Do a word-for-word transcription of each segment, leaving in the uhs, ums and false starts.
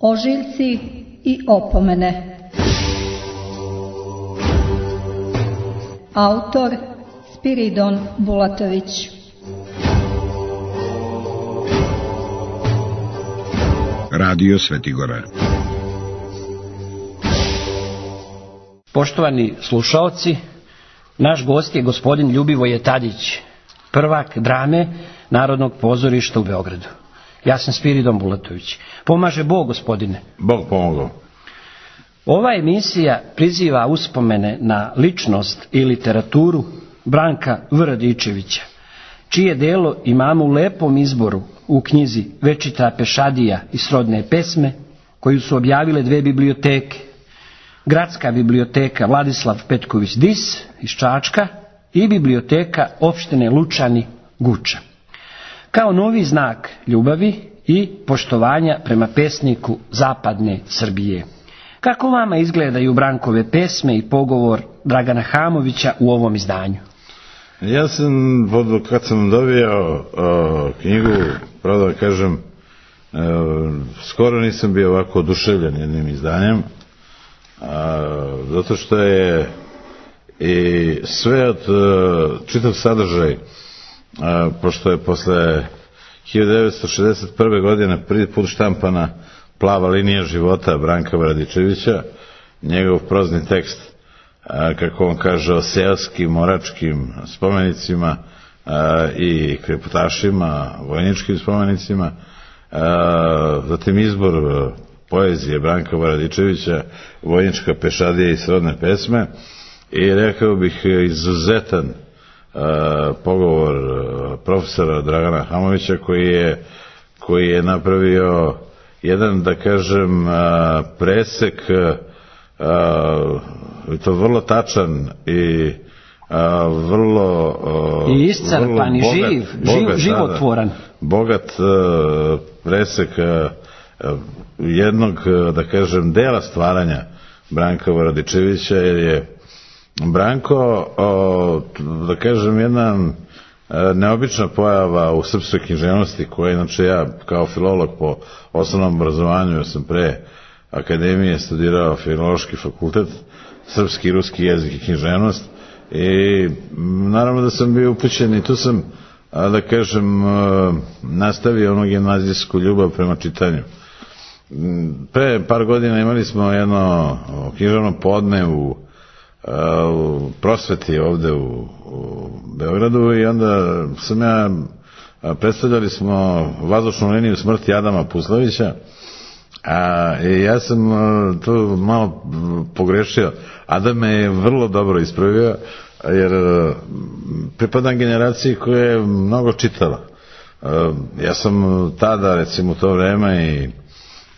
Ožiljci i opomene. Autor Spiridon Bulatović. Radio Svetigora. Poštovani slušaoci, naš gost je gospodin Ljubivoje Tadić, prvak drame Narodnog pozorišta u Beogradu. Ja sam Spiridon Bulatović. Pomaže Bog, gospodine. Bog pomogao. Ova emisija priziva uspomene na ličnost i literaturu Branka V. Radičevića, čije delo imamo u lepom izboru u knjizi Večita pešadija i srodne pesme, koju su objavile dve biblioteke. Gradska biblioteka Vladislav Petković Dis iz Čačka i biblioteka opštine Lučani Guča. Kao novi znak ljubavi i poštovanja prema pesniku zapadne Srbije. Kako vama izgledaju Brankove pesme i pogovor Dragana Hamovića u ovom izdanju? Ja sam, kad sam dobio o, knjigu, pravo da kažem, o, skoro nisam bio ovako oduševljen jednim izdanjem, a, zato što je i sve od o, čitav sadržaj, a, pošto je posle hiljadu devetsto šezdeset prve. godine prvi put štampana Plava linija života Branka Radičevića, njegov prozni tekst, a, kako on kaže, o seoskim, moračkim spomenicima a, i kreputašima, vojničkim spomenicima, a, zatim izbor a, poezije Branka Radičevića, Vojnička pešadija i srodne pesme, i rekao bih izuzetan a, pogovor a, profesora Dragana Hamovića, koji je, koji je napravio jedan, da kažem, a, presek, a, i to vrlo tačan i a, vrlo a, i iscrpan i živ, bogat, životvoran, bogat a, presek a, a, jednog, da kažem, dela stvaranja Branka Radičevića, jer je Branko, a, da kažem, jedna a, neobična pojava u srpskoj književnosti, koja inače ja kao filolog po osnovnom obrazovanju, ja sam pre akademije studirao filološki fakultet, srpski i ruski jezik i književnost, i naravno da sam bio upućen i tu sam, da kažem, nastavio ono gimnazijsku ljubav prema čitanju. Pre par godina imali smo jedno književno podne u, u prosveti ovde u, u Beogradu, i onda sam ja, predstavljali smo vazdušnu liniju smrti Adama Puslovića. A, i ja sam tu malo pogrešio. Adam me je vrlo dobro ispravio, jer pripadam generaciji koja je mnogo čitala. Ja sam tada, recimo u to vreme, i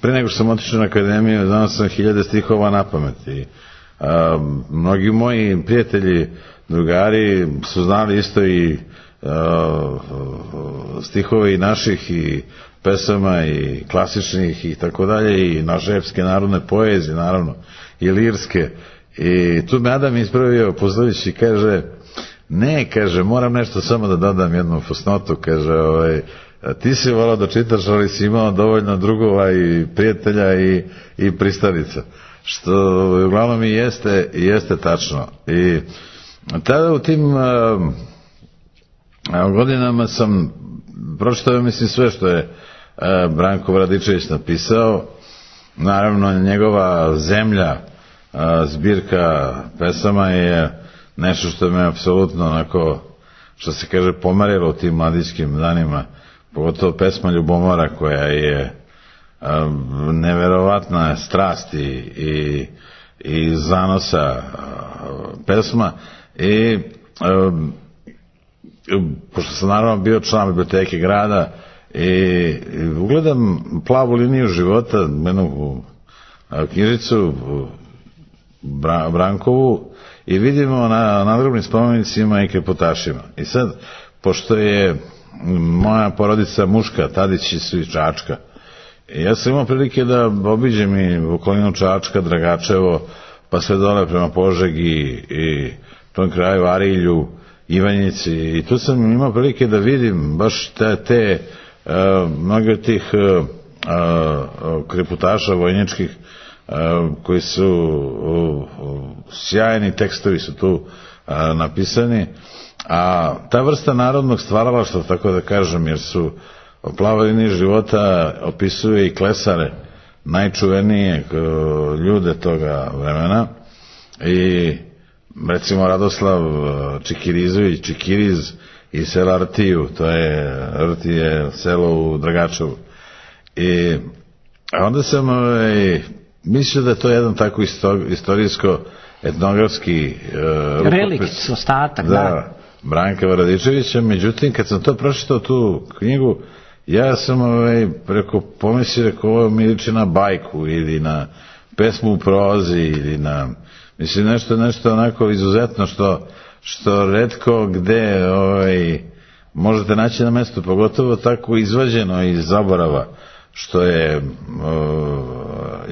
pre nego što sam otišao na akademiju, znao sam hiljade stihova na pamet, i a, mnogi moji prijatelji, drugari su znali isto i a, stihove i naših i pesama i klasičnih i tako dalje, i naše epske narodne poezije, naravno, i lirske. I tu me Adam ispravio Puslović i kaže, ne, kaže, moram nešto samo da dodam jednu fusnotu, kaže, ovaj, ti si volao da čitaš, ali si imao dovoljno drugova i prijatelja i, i pristalica, što uglavnom i jeste, jeste tačno. I tada u tim a, a, godinama sam pročitao, mislim, sve što je Branko Radičević napisao. Naravno, njegova Zemlja, zbirka pesama, je nešto što me apsolutno, onako, što se kaže, pomerilo u tim mladićkim danima, pogotovo pesma Ljubomora, koja je neverovatna strast i, i, i zanosa pesma. I pošto sam naravno bio član biblioteke grada, i ugledam Plavu liniju života, jednu knjižicu Brankovu, i vidimo na nadgrobnim spomenicima i kreputašima. I sad, pošto je moja porodica muška, Tadići su iz Čačka, i ja sam imao prilike da obiđem i okolinu Čačka, Dragačevo, pa sve dole prema Požegi i tom kraju Arilju, Ivanjici, i tu sam imao prilike da vidim baš te, te uh, mnoge od tih uh, kreputaša vojničkih, koji su sjajni tekstovi su tu napisani, a ta vrsta narodnog stvaralaštva, tako da kažem, jer su Plava linija života opisuje i klesare, najčuvenije ljude toga vremena, i recimo Radoslav Čikirizović, Čikiriz iz sela Rtiju, to je, Rtije selo u Dragačevu, i onda sam ovaj, mislio da je to jedan tako istorijsko etnografski uh, relikt, ostatak, da, da, Branka Varadičevića. Međutim, kad sam to pročitao, tu knjigu, ja sam ovaj, preko pomisli rekao, ovo mi liči na bajku ili na pesmu u prozi ili na, mislim, nešto, nešto onako izuzetno što, što retko gde ovaj, možete naći na mestu, pogotovo tako izvađeno iz zaborava što je uh,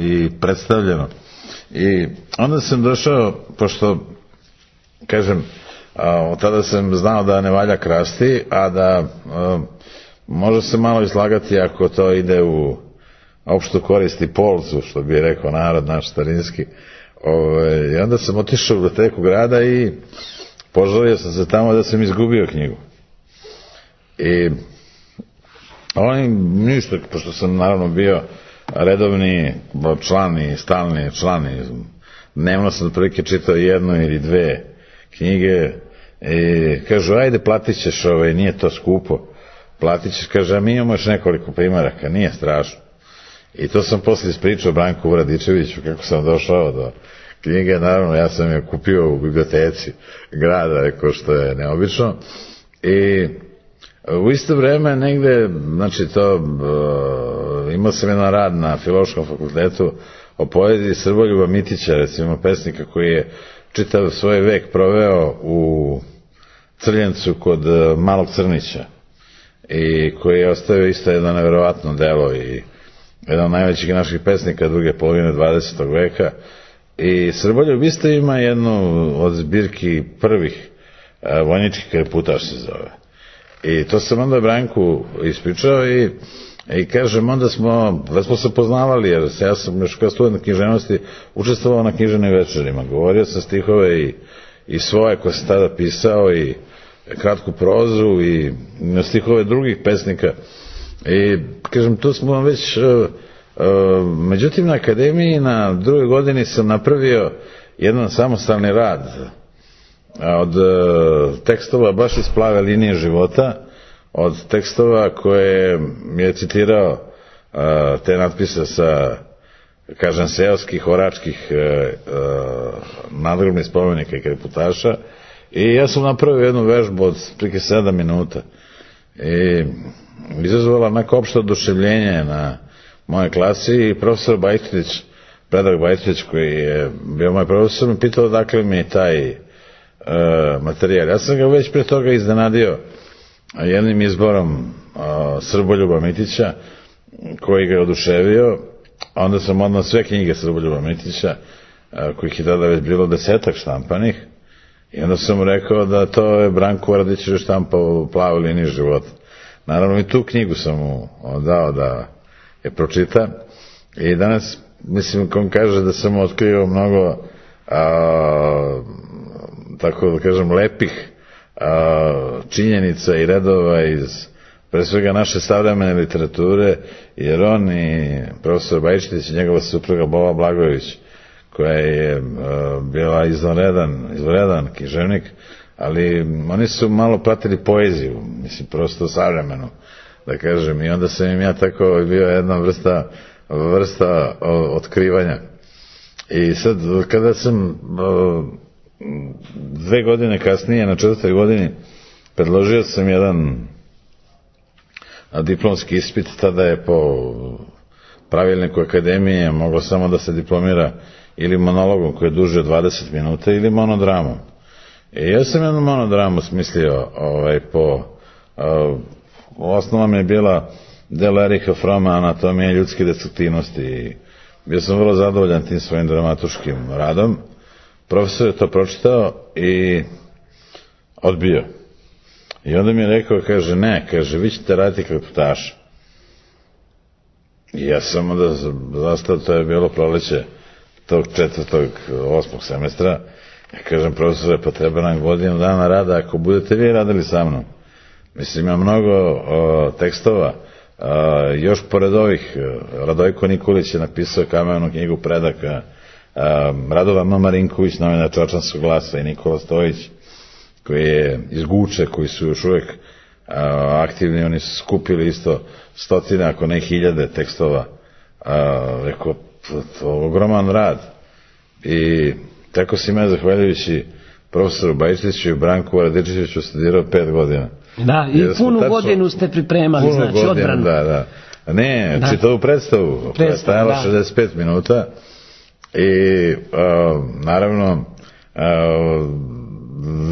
i predstavljeno. I onda sam došao, pošto, kažem, uh, od tada sam znao da ne valja krasti, a da uh, može se malo izlagati ako to ide u opštu korist i polzu, što bi rekao narod naš starinski. Ove, I onda sam otišao u biblioteku grada i požalio sam se tamo da sam izgubio knjigu. I oni ništa, pošto sam naravno bio redovni član i stalni član, dnevno sam otprilike čitao jednu ili dve knjige i kažu, ajde platit ćeš, ovaj, nije to skupo, platit ćeš, kaže, a mi imamo još nekoliko primaraka, nije strašno. I to sam poslije ispričao Branku Vradičeviću kako sam došao do knjige, naravno ja sam je kupio u biblioteci grada, ko što je neobično, i u isto vreme negde, znači to, uh, imao sam jedan rad na Filološkom fakultetu o poeziji Srboljuba Mitića, recimo pesnika koji je čitav svoj vek proveo u Crljencu kod uh, Malog Crnića i koji je ostavio isto jedno nevjerovatno delo i jedan od najvećih naših pesnika druge polovine dvadesetog veka. I Srboljub isto ima jednu od zbirki prvih, uh, vojnički kreputaš se zove. I to sam onda Branku ispričao i, i kažem, onda smo, da smo se poznavali, jer ja sam još kao student književnosti učestvovao na književnim večerima. Govorio sam stihove i, i svoje koje sam tada pisao i kratku prozu i stihove drugih pesnika. I kažem, tu smo već, uh, uh, međutim na akademiji na drugoj godini sam napravio jedan samostalni rad od uh, tekstova baš iz Plave linije života, od tekstova koje je citirao uh, te natpise sa, kažem, seoskih, oračkih uh, uh, nadgrobnih spomenika i kreputaša, i ja sam napravio jednu vežbu od prike sedam minuta i izazvala onako opšte oduševljenje na moje klasi, i profesor Bajtlić, Predrag Bajtlić, koji je bio moj profesor, mi pitao dakle mi je taj Uh, materijal. Ja sam ga već pre toga iznenadio jednim izborom uh, Srboljuba Mitića koji ga je oduševio. Onda sam odmah sve knjige Srboljuba Mitića, uh, kojih je tada već bilo desetak štampanih, i onda sam mu rekao da to je Branko Varadičević štampa u Plavoj liniji života. Naravno i tu knjigu sam mu dao da je pročita, i danas mislim, ko kaže da sam otkrio mnogo uh, tako da kažem lepih a, činjenica i redova iz pre svega naše savremene literature, jer on i profesor Bajčetić i njegova supruga Bola Blagojević, koja je a, bila izvanredan, izvanredan književnik, ali oni su malo pratili poeziju, mislim, prosto savremenu, da kažem, i onda sam im ja tako bio jedna vrsta, vrsta o, otkrivanja. I sad, kada sam o, dve godine kasnije, na četvrtoj godini, predložio sam jedan diplomski ispit. Tada je po pravilniku akademije moglo samo da se diplomira ili monologom koji je duže od dvadeset minuta ili monodramom. I ja sam jednu monodramu smislio ovaj, po uh, osnova mi je bila delo Ericha Froma, Anatomija ljudske destruktivnosti, i bio sam vrlo zadovoljan tim svojim dramatuškim radom. Profesor je to pročitao i odbio. I onda mi je rekao, kaže, ne, kaže, vi ćete raditi kreputaša. I ja sam onda zastao, to je bilo proleće tog četvrtog, osmog semestra. Ja kažem, profesore, pa treba nam godinu dana rada ako budete vi radili sa mnom. Mislim, ima mnogo o, tekstova. A, još pored ovih, Radojko Nikolić je napisao Kamenu knjigu predaka, a, Radovan M. Marinković, novinar Čačanskog glasa, i Nikola Stojić, koji je iz Guče, koji su još uvijek a, aktivni, oni su skupili isto stotine, ako ne hiljade tekstova. A, rekao, to je ogroman rad. I tako si me, zahvaljujući profesoru Bajčetiću i Branku Radičeviću, studirao pet godina. Da, i punu tačno, godinu ste pripremali, znači godinu, odbranu. Da, da. Ne, da. Čitavu predstavu, predstavila da. šezdeset pet minuta i uh, naravno uh,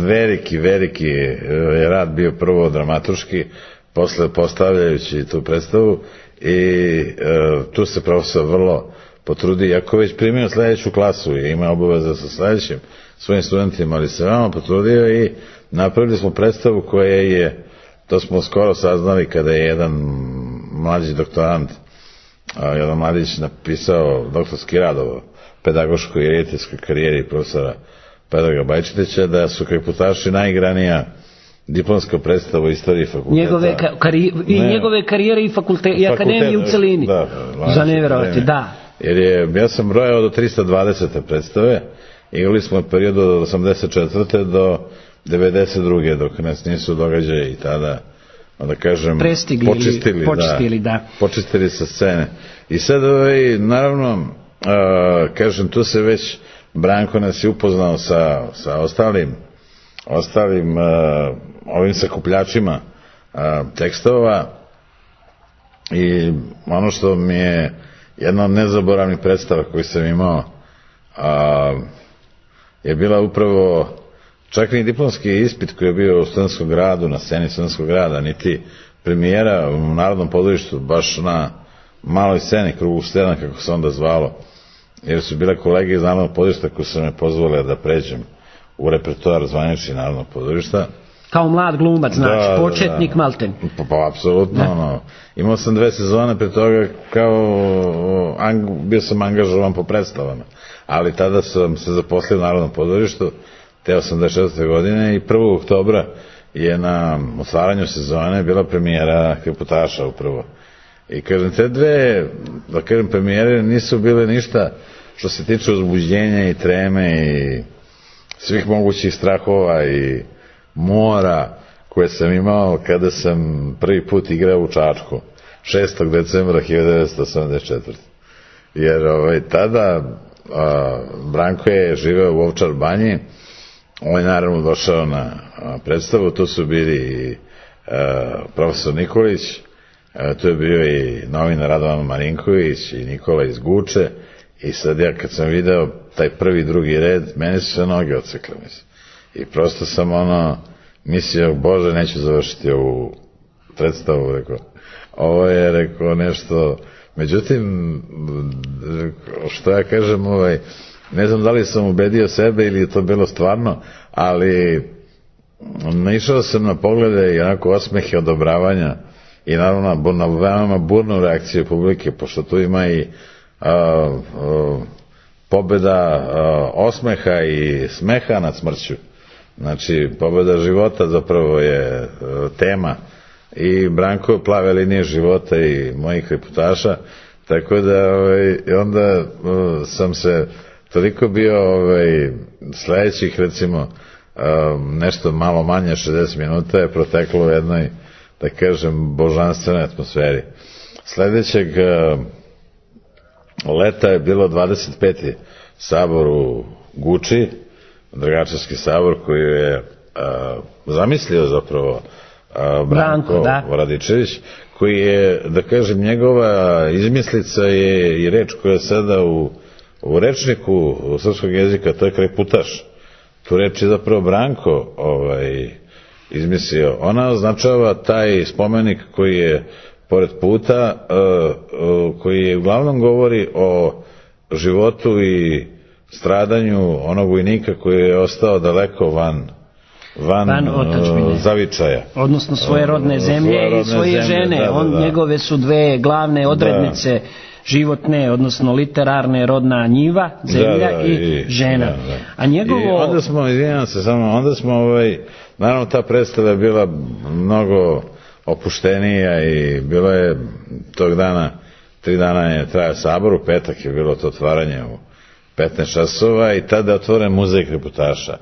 veliki, veliki je rad bio prvo dramaturški, posle postavljajući tu predstavu i uh, tu se profesor vrlo potrudi, iako već primio sljedeću klasu i ima obaveza sa sljedećim svojim studentima, ali se veoma potrudio i napravili smo predstavu koja je, to smo skoro saznali kada je jedan mlađi doktorant, jedan mladić napisao doktorski rad o pedagoškoj i rediteljskoj karijeri profesora Predraga Bajčetića, da su Kreputaši najigranija diplomska predstava u istoriji fakulteta. Njegove kari, I ne, njegove karijere i, fakulte, i akademije u celini. Da, za nevjerovati, da. Jer je, ja sam brojao do tristo dvadesete predstave, igrali smo u periodu od osamdeset četvrte do devedeset druge dok nas nisu događaje i tada, da kažem, prestigli počistili, počistili da, da. počistili sa scene. I sad, ovaj, naravno, uh, kažem, tu se već Branko nas je upoznao sa, sa ostalim, ostalim uh, ovim sakupljačima uh, tekstova i ono što mi je jedna od nezaboravnih predstava koju sam imao uh, je bila upravo čak ni diplomski ispit koji je bio u Studentskom gradu, na sceni Studentskog grada, niti premijera u Narodnom pozorištu, baš na maloj sceni, krugu sedam, kako se onda zvalo, jer su bile kolege iz Narodnog pozorišta koji su me pozvali da pređem u repertoar zvanični Narodnog pozorišta. Kao mlad glumac, znači, da, početnik da. malten. Pa, pa apsolutno, ono. Imao sam dve sezone pre toga, kao, ang, bio sam angažovan po predstavama, ali tada sam se zaposlio u Narodnom pozorištu, te osamdeset četvrte godine i prvog oktobra je na otvaranju sezone bila premijera Kreputaša upravo. I kažem, te dve, da kažem, premijere nisu bile ništa što se tiče uzbuđenja i treme i svih mogućih strahova i mora koje sam imao kada sam prvi put igrao u Čačku šestog decembra hiljadu devetsto osamdeset četvrte. Jer ovaj, tada a, Branko je živeo u Ovčar banji, on je naravno došao na a, predstavu, tu su bili i a, profesor Nikolić, a, tu je bio i novinar Radovan Marinković i Nikola iz Guče i sad ja kad sam video taj prvi, drugi red, meni su se noge odsekle, mislim. I prosto sam ono mislio, Bože, neću završiti ovu predstavu, rekao. Ovo je, rekao, nešto, međutim, što ja kažem, ovaj, ne znam da li sam ubedio sebe ili je to bilo stvarno, ali naišao sam na poglede i onako osmehe odobravanja i naravno na veoma burnu reakciju publike, pošto tu ima i a, a, pobeda a, osmeha i smeha nad smrću. Znači, pobeda života zapravo je tema i Branko plave linije života i mojih Kreputaša, tako da ovaj, onda uh, sam se toliko bio ovaj, sledećih recimo uh, nešto malo manje šezdeset minuta je proteklo u jednoj, da kažem, božanstvenoj atmosferi. Sledećeg uh, leta je bilo dvadeset peti sabor u Guči, Dragačevski sabor koji je a, zamislio zapravo a, Branko, Branko Radičević, koji je, da kažem, njegova izmislica je i reč koja je sada u, u rečniku u srpskog jezika, to je Kreputaš. Tu reč je zapravo Branko ovaj, izmislio. Ona označava taj spomenik koji je pored puta, a, a, koji je uglavnom govori o životu i stradanju onog vojnika koji je ostao daleko van van, van otadžbine, zavičaja. Odnosno svoje rodne zemlje svoje rodne i svoje zemlje, žene. da, da, On, da. njegove su dve glavne odrednice, da. životne, odnosno literarne, rodna njiva, zemlja da, da, i, i žena. Da, da. A njegovo... I onda smo, izvinjam se samo, onda smo, ovaj, naravno ta predstava je bila mnogo opuštenija i bilo je tog dana, tri dana je trajao sabor, u petak je bilo to otvaranje u petnaest časova i tada je otvoren muzej kreputaša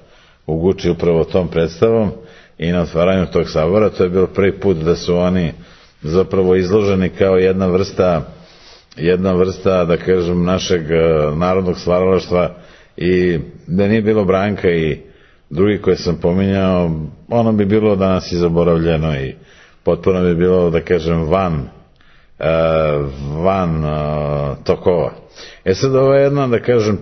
u Guči upravo tom predstavom i na otvaranju tog sabora. To je bilo prvi put da su oni zapravo izloženi kao jedna vrsta jedna vrsta, da kažem, našeg narodnog stvaralaštva i da nije bilo Branka i drugi koje sam pominjao, ono bi bilo danas i zaboravljeno i potpuno bi bilo, da kažem, van van tokova. E sad, ovo je jedna, da kažem,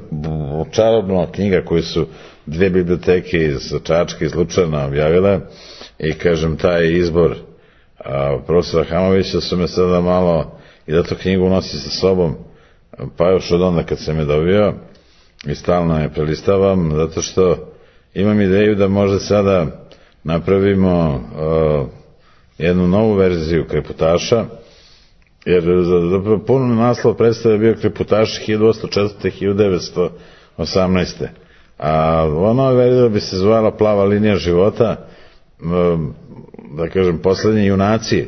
čarobna knjiga koju su dve biblioteke iz Čačka i Lučana objavile i, kažem, taj izbor profesora Hamovića su me sada malo i da to knjigu nosi sa sobom, pa još od onda kad sam je dobio i stalno je prelistavam, zato što imam ideju da možda sada napravimo uh, jednu novu verziju kreputaša, jer zapravo puno naslov predstave je bio Kreputaši hiljadu osamsto četvrte do hiljadu devetsto osamnaeste. A ona verzija bi se zvala Plava linija života, da kažem, poslednji junaci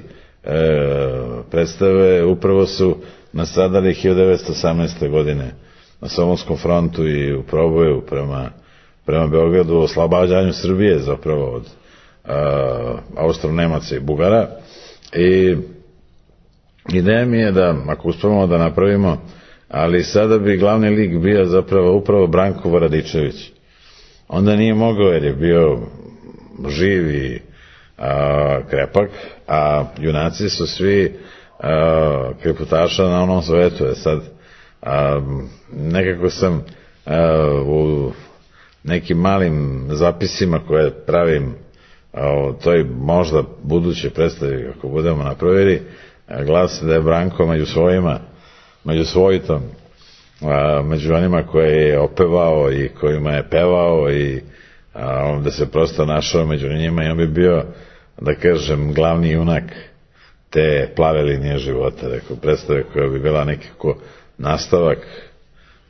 predstave upravo su nastradali hiljadu devetsto osamnaeste. godine na Solunskom frontu i u proboju prema, prema Beogradu, o oslobađanju Srbije zapravo od Austro-Nemaca i Bugara. I ideja mi je da, ako uspemo da napravimo, ali sada bi glavni lik bio zapravo upravo Branko Varadičević. Onda nije mogao jer je bio živ i a, krepak, a junaci su svi a, kreputaša na onom svetu. Je sad, a, nekako sam a, u nekim malim zapisima koje pravim o toj možda budućoj predstavi, ako budemo napravili, glasi da je Branko među svojima, među svojitom, a, među onima koje je opevao i kojima je pevao i a, da se prosto našao među njima i on bi bio, da kažem, glavni junak te Plave linije života, rekao, predstave koja bi bila nekako nastavak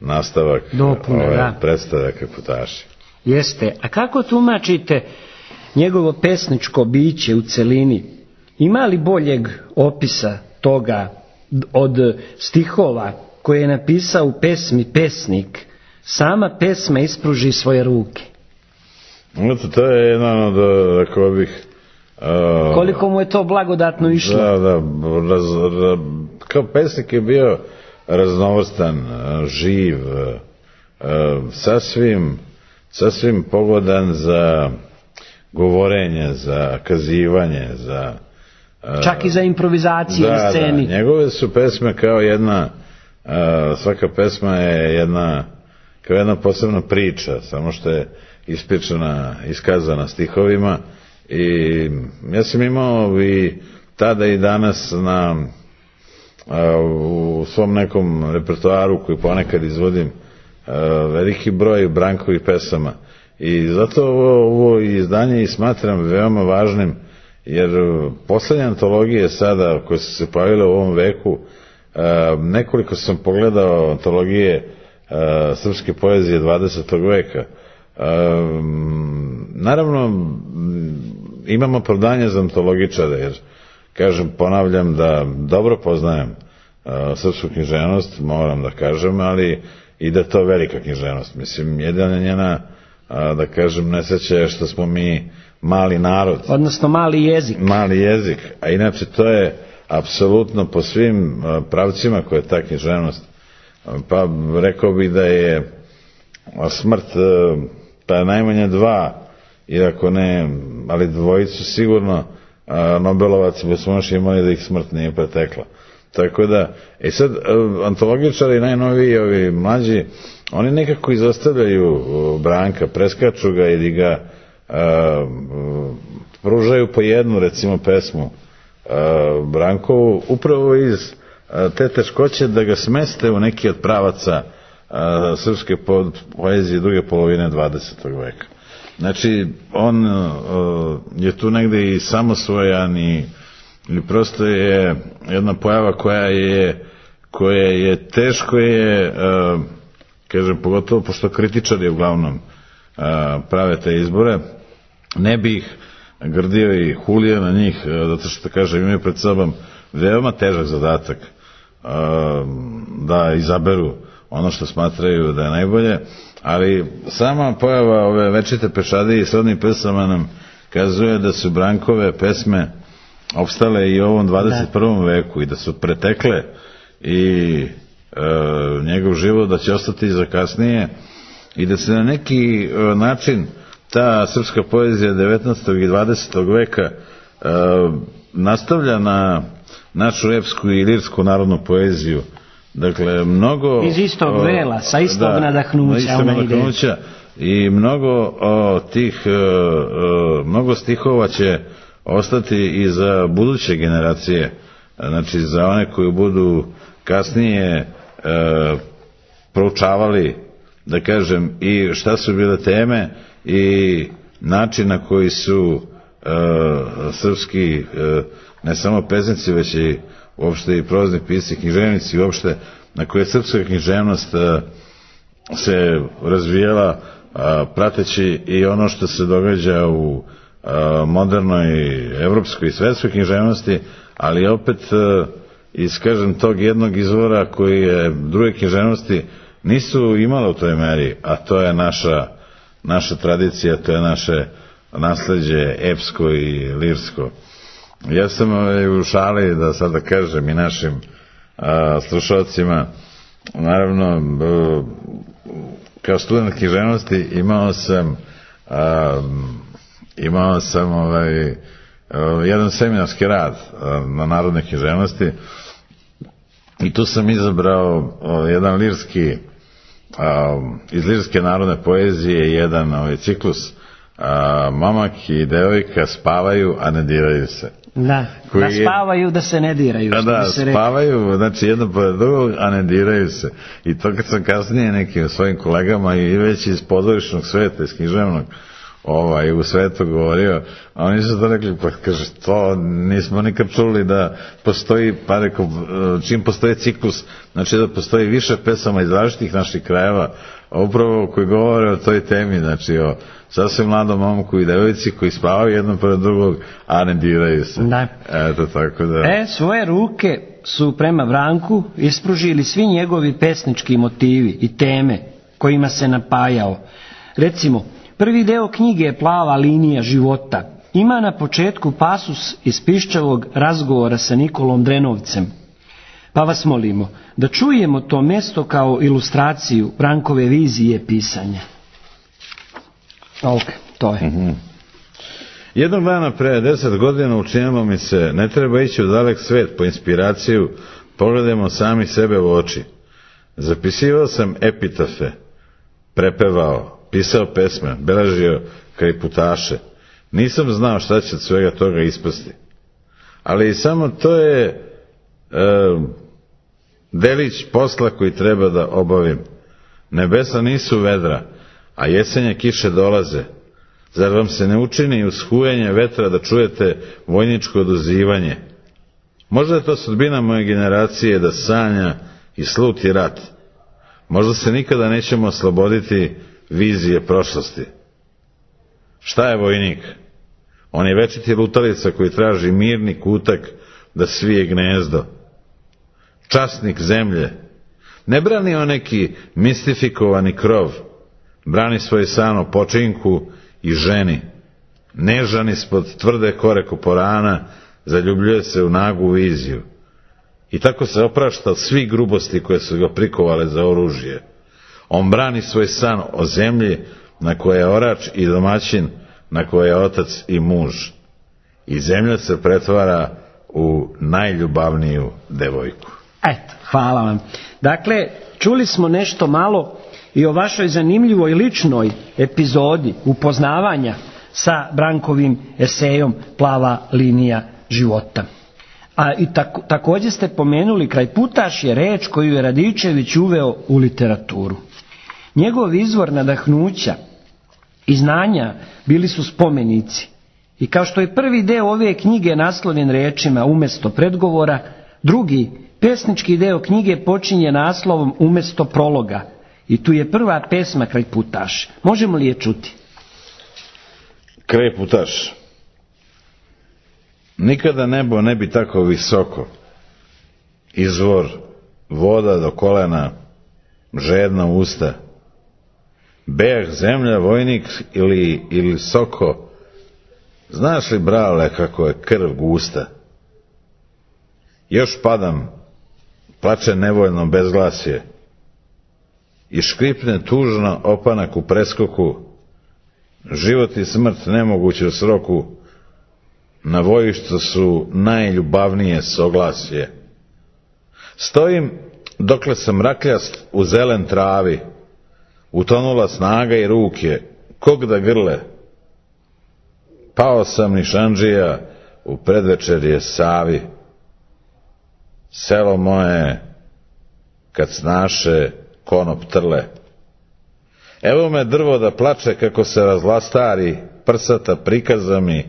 nastavak Dopune, ove da. predstave Kreputaši. Jeste. A kako tumačite njegovo pesničko biće u celini? Ima li boljeg opisa toga od stihova koje je napisao u pesmi pesnik? Sama pesma ispruži svoje ruke. Eto, to je jedan od, rekao bih... Uh, Koliko mu je to blagodatno išlo? Da, da, raz, raz, kao pesnik je bio raznovrstan, živ, uh, sasvim, sasvim pogodan za govorenje, za kazivanje, za... Uh, čak i za improvizacije da, na sceni. Da, njegove su pesme kao jedna, uh, svaka pesma je jedna, kao jedna posebna priča, samo što je ispričana, iskazana stihovima. I ja sam imao i tada i danas na, a, u svom nekom repertoaru koji ponekad izvodim a, veliki broj Brankovih pesama i zato ovo, ovo izdanje i smatram veoma važnim, jer poslednje antologije sada koje su se pojavile u ovom veku, a, nekoliko sam pogledao antologije a, srpske poezije dvadesetog veka. A, naravno imamo opravdanje za antologičare, jer, kažem, ponavljam da dobro poznajem uh, srpsku književnost, moram da kažem, ali i da to velika književnost. Mislim, jedna je njena, uh, da kažem, nesreća je što smo mi mali narod. Odnosno mali jezik. Mali jezik, a inače to je apsolutno po svim uh, pravcima koje je ta književnost. Uh, pa rekao bih da je smrt, uh, pa najmanje dva, iako ne, ali dvojicu sigurno a, Nobelovac bi smo još imali da ih smrt nije pretekla. Tako da, i sad, antologičari najnoviji, ovi mlađi, oni nekako izostavljaju Branka, preskaču ga ili ga a, pružaju po jednu, recimo, pesmu a, Brankovu, upravo iz a, te teškoće da ga smeste u neki od pravaca a, srpske poezije druge polovine dvadesetog veka. Znači, on uh, je tu negde i samosvojan i, i prosto je jedna pojava koja je, koja je teško je, uh, kažem, pogotovo pošto kritičari uglavnom uh, prave te izbore, ne bi ih grdio i hulio na njih, uh, zato što, kažem, imaju pred sobom veoma težak zadatak uh, da izaberu ono što smatraju da je najbolje, ali sama pojava ove večite pešadije i srodnih pesama nam kazuje da su Brankove pesme opstale i u ovom dvadeset prvom veku i da su pretekle i e, njegov život, da će ostati za kasnije i da se na neki e, način ta srpska poezija devetnaestog i dvadesetog veka e, nastavlja na našu epsku i lirsku narodnu poeziju. Dakle, mnogo... Iz istog vela, sa istog da, nadahnuća. Istog nadahnuća i mnogo o, tih, o, mnogo stihova će ostati i za buduće generacije, znači za one koji budu kasnije e, proučavali, da kažem, i šta su bile teme i način na koji su e, srpski, e, ne samo pesnici, već i uopšte i prozni pisci, književnici, uopšte na koje srpska književnost a, se razvijela a, prateći i ono što se događa u a, modernoj evropskoj i svetskoj književnosti, ali opet a, iz, kažem, tog jednog izvora koji je druge književnosti nisu imale u toj meri, a to je naša, naša tradicija, to je naše nasleđe epsko i lirsko. Ja sam u šali, da sada kažem i našim a, slušalcima, naravno, b, kao student književnosti imao sam a, imao sam ovaj, a, jedan seminarski rad a, na narodne književnosti i tu sam izabrao a, jedan lirski, a, iz lirske narodne poezije, jedan ovaj, ciklus a, Momak i devojka spavaju, a ne diraju se. Da, da spavaju, je, da se ne diraju. Da, da se spavaju, re... znači jedno pored drugog, a ne diraju se. I to kad sam kasnije nekim svojim kolegama i već iz pozorišnog sveta, iz književnog, ovaj, u svetu govorio, a oni su to rekli, pa kaže, to nismo nikad čuli da postoji, pa rekao, čim postoji ciklus, znači da postoji više pesama iz različitih naših krajeva, upravo koji govore o toj temi, znači o sasvim mladom momku i devojci koji spavaju jedno pored drugog, a ne diraju se. Da. Eto, tako da... E, svoje ruke su prema Branku ispružili svi njegovi pesnički motivi i teme kojima se napajao. Recimo, prvi deo knjige je Plava linija života. Ima na početku pasus iz piščavog razgovora sa Nikolom Drenovcem. Pa vas molimo da čujemo to mjesto kao ilustraciju Brankove vizije pisanja. Ok, to je. Mm-hmm. Jednog dana pre deset godina učinilo mi se, ne treba ići u dalek svet po inspiraciju, pogledajmo sami sebe u oči. Zapisivao sam epitafe, prepevao, pisao pesme, beležio kriputaše. Nisam znao šta će od svega toga ispasti. Ali samo to je e, delić posla koji treba da obavim. Nebesa nisu vedra, a jesenje kiše dolaze. Zar vam se ne učini uz hujanje vetra da čujete vojničko oduzivanje? Možda je to sudbina moje generacije da sanja i sluti rat. Možda se nikada nećemo osloboditi vizije prošlosti. Šta je vojnik? On je večiti lutalica koji traži mirni kutak da svije gnezdo. Časnik zemlje. Ne brani on neki mistifikovani krov. Brani svoj san o počinku i ženi. Nežan ispod tvrde kore koporana zaljubljuje se u nagu viziju. I tako se oprašta od svih grubosti koje su ga prikovale za oružje. On brani svoj san o zemlji na koje je orač i domaćin, na koje je otac i muž. I zemlja se pretvara u najljubavniju devojku. Eto, hvala vam. Dakle, čuli smo nešto malo i o vašoj zanimljivoj ličnoj epizodi upoznavanja sa Brankovim esejom Plava linija života. A i tako, također ste pomenuli krajputaš je reč koju je Radičević uveo u literaturu. Njegov izvor nadahnuća i znanja bili su spomenici. I kao što je prvi deo ove knjige naslovljen rečima umjesto predgovora, drugi, pesnički deo knjige počinje naslovom umjesto prologa. I tu je prva pesma Kraj putaš. Možemo li je čuti? Kraj putaš. Nikada nebo ne bi tako visoko. Izvor voda do kolena, žedna usta. Beh, zemlja, vojnik ili, ili soko. Znaš li, brale, kako je krv gusta? Još padam, plače nevoljno bezglasje i škripne tužno opanak u preskoku. Život i smrt nemoguće u sroku, na vojištu su najljubavnije soglasje. Stojim dokle sam rakljast u zelen travi, utonula snaga i ruke, kog da grle. Pao sam nišandžija u predvečerje Savi. Selo moje, kad snaše konop trle. Evo me drvo da plače kako se razlastari, prsata prikaza mi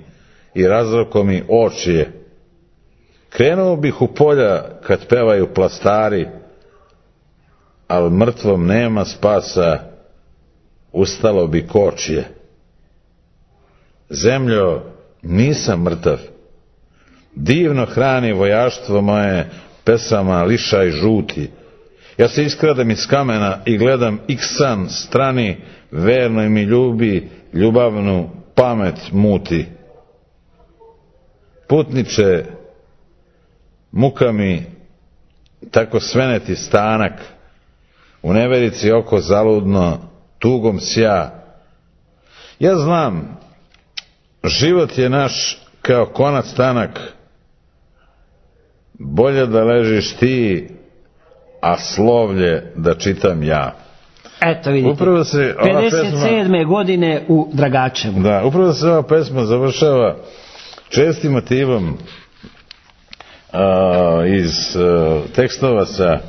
i razroko mi očije. Krenuo bih u polja kad pevaju plastari, al mrtvom nema spasa, ustalo bi kočije. Zemljo, nisam mrtav, divno hrani vojaštvo moje pesama lišaj žuti. Ja se iskradem iz kamena i gledam iksan strani, verno mi ljubi, ljubavnu pamet muti. Putniče, muka mi tako sveneti stanak, u neverici oko zaludno, tugom sja. Ja znam, život je naš kao konac tanak, bolje da ležiš ti, a slovlje da čitam ja. Eto vidite, upravo se ova pedeset sedme pesma, godine u Dragačevu. Da, upravo se ova pesma završava čestim motivom a, iz a, tekstova sa,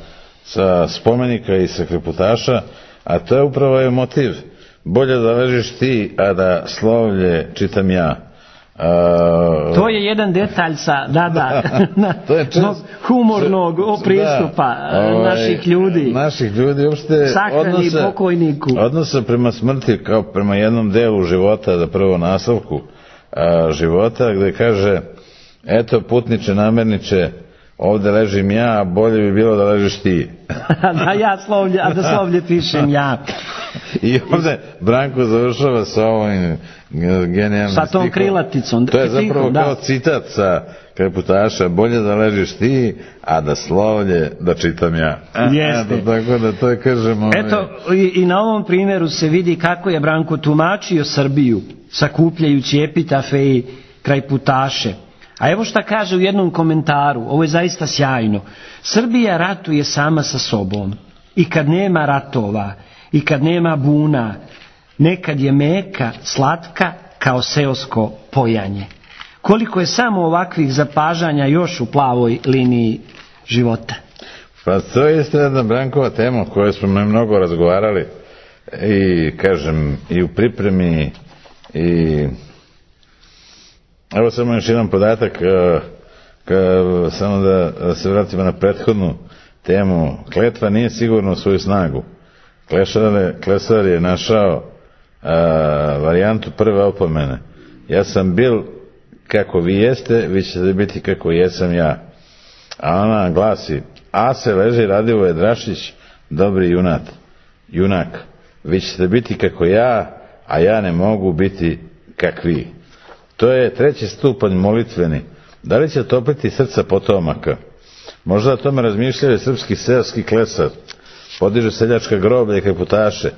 sa spomenika i sa kreputaša, a to je upravo je motiv. Bolje da ležiš ti, a da slovlje čitam ja. Uh, to je jedan detalj sa da, da, na, to je čest, humornog pristupa da, ovaj, naših ljudi naših ljudi uopšte sahrani odnosa, pokojniku odnosa prema smrti kao prema jednom delu života, da prvo naslovku a, života, gde kaže eto putniče namerniče, ovde ležim ja, a bolje bi bilo da ležiš ti. da ja slovlje, a da slovlje pišem ja. I ovde Branko završava sa ovim genijalnim sa tom stikom, krilaticom. To je zapravo da. Kao citat sa kreputaša, bolje da ležiš ti, a da slovlje da čitam ja. Jeste. Eto, tako da to je, kažemo... Eto, i, i na ovom primjeru se vidi kako je Branko tumačio Srbiju, sakupljajući epitafe i krajputaše. A evo šta kaže u jednom komentaru, ovo je zaista sjajno. Srbija ratuje sama sa sobom. I kad nema ratova, i kad nema buna, nekad je meka, slatka, kao seosko pojanje. Koliko je samo ovakvih zapažanja još u plavoj liniji života? Pa to je isto jedna Brankova tema o kojoj smo mnogo razgovarali i, kažem, i u pripremi i... Evo samo još jedan podatak, ka, samo da se vratimo na prethodnu temu. Kletva nije sigurno u svoju snagu. Klešar, Klesar je našao a, varijantu prve opomene. Ja sam bil kako vi jeste, vi ćete biti kako jesam ja. A ona glasi, a se leži Radivoje Drašić, dobri junat, junak. Vi ćete biti kako ja, a ja ne mogu biti kak vi. To je treći stupanj molitveni. Da li će topiti srca potomaka? Možda o tome razmišljaju srpski seoski klesar. Podiže seljačka groblja i kreputaše.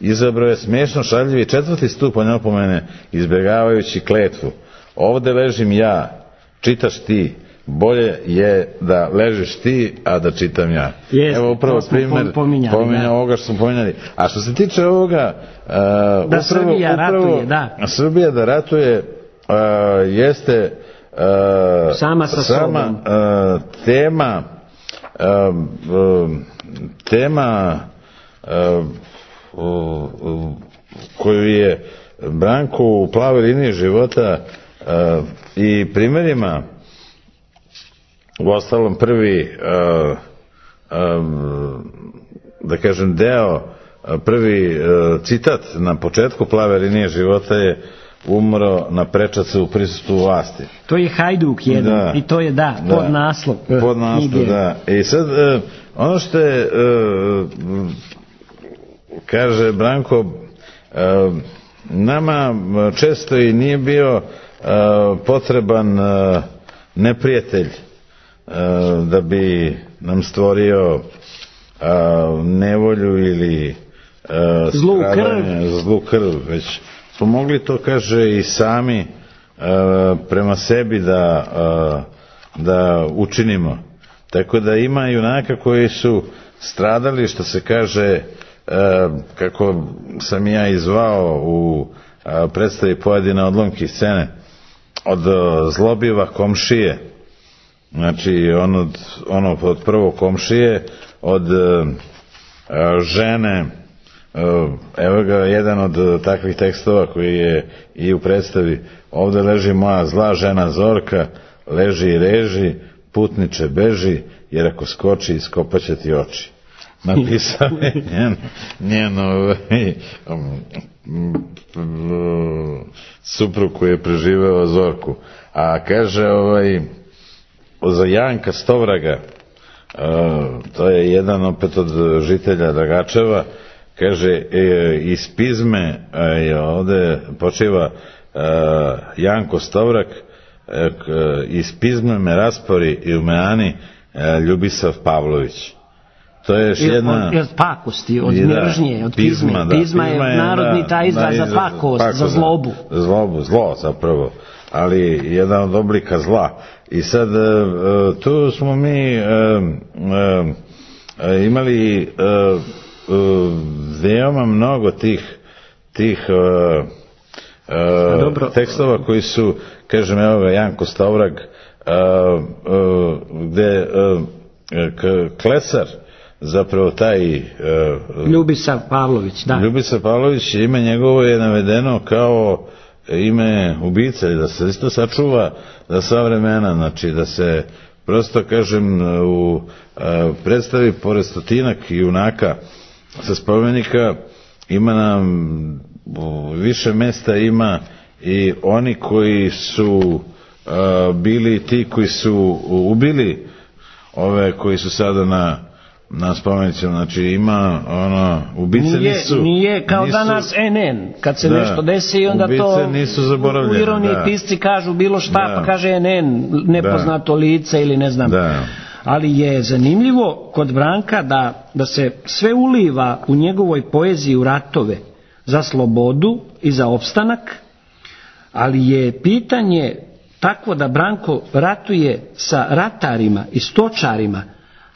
Izabrao je smiješno šaljivi četvrti stupanj opomene, izbjegavajući kletvu. Ovde ležim ja, čitaš ti. Bolje je da ležiš ti, a da čitam ja. Jest, evo upravo primjer pominja ovoga što smo pominjali. A što se tiče ovoga, uh, da upravo, Srbija upravo, ratuje, da. Srbija da ratuje uh, jeste uh, sama sa sama uh, tema uh, uh, tema uh, uh, uh, koju je Branku u Plavoj liniji života uh, i primjerima, u ostalom prvi uh, um, da kažem deo, prvi uh, citat na početku Plave linije života je umro na prečacu u prisustvu vlasti. To je Hajduk jedan, da, i to je da, da pod naslov uh, pod naslov, knjige. Da. I sad uh, ono što je uh, kaže Branko, uh, nama često i nije bio uh, potreban uh, neprijatelj uh, da bi nam stvorio uh, nevolju ili uh, zlu krv. zlu krv, već smo mogli to, kaže, i sami uh, prema sebi da, uh, da učinimo. Tako da ima junaka koji su stradali, što se kaže, uh, kako sam ja izvao u uh, predstavi pojedine odlomke scene, od uh, zlobiva komšije, znači on od, ono od prvog komšije, od uh, žene, uh, evo ga jedan od takvih tekstova koji je i u predstavi, ovde leži moja zla žena Zorka, leži i reži, putniče beži, jer ako skoči iskopaće ti oči. Napisao je njen, njen ovaj, suprug koji je preživeo Zorku. A kaže ovaj, za Janka Stovraga, to je jedan opet od žitelja Dragačeva, kaže, iz Pizme ovde počiva Janko Stovrak, iz Pizme me raspori i u Meani Ljubisav Pavlović. To je još jedna... Od, od pakosti, od mržnje, od pizme. Pizma, da, pizma je narodni je, taj izraz za pakost, pakost, za zlobu. Za zlobu, zlo zapravo, ali jedan od oblika zla. I sad, tu smo mi imali veoma mnogo tih, tih tekstova koji su, kažem, evo ga, Janko Stovrag, gde Klesar, zapravo taj uh, Ljubisav Pavlović, da. Ljubisav Pavlović, ime njegovo je navedeno kao ime ubice, da se isto sačuva za sva vremena, znači da se prosto, kažem, u uh, predstavi pored stotinak junaka sa spomenika ima nam uh, više mesta, ima i oni koji su uh, bili ti koji su ubili ove koji su sada na na spomenicima, znači ima ono, ubice nije, nisu... Nije kao nisu, danas en en, kad se da, nešto desi i onda to nisu zaboravljene, u ironiji da. Pisci kažu bilo šta, da. Pa kaže en en, nepoznato da. Lice ili ne znam. Da. Ali je zanimljivo kod Branka da, da se sve uliva u njegovoj poeziji u ratove za slobodu i za opstanak, ali je pitanje takvo da Branko ratuje sa ratarima i stočarima,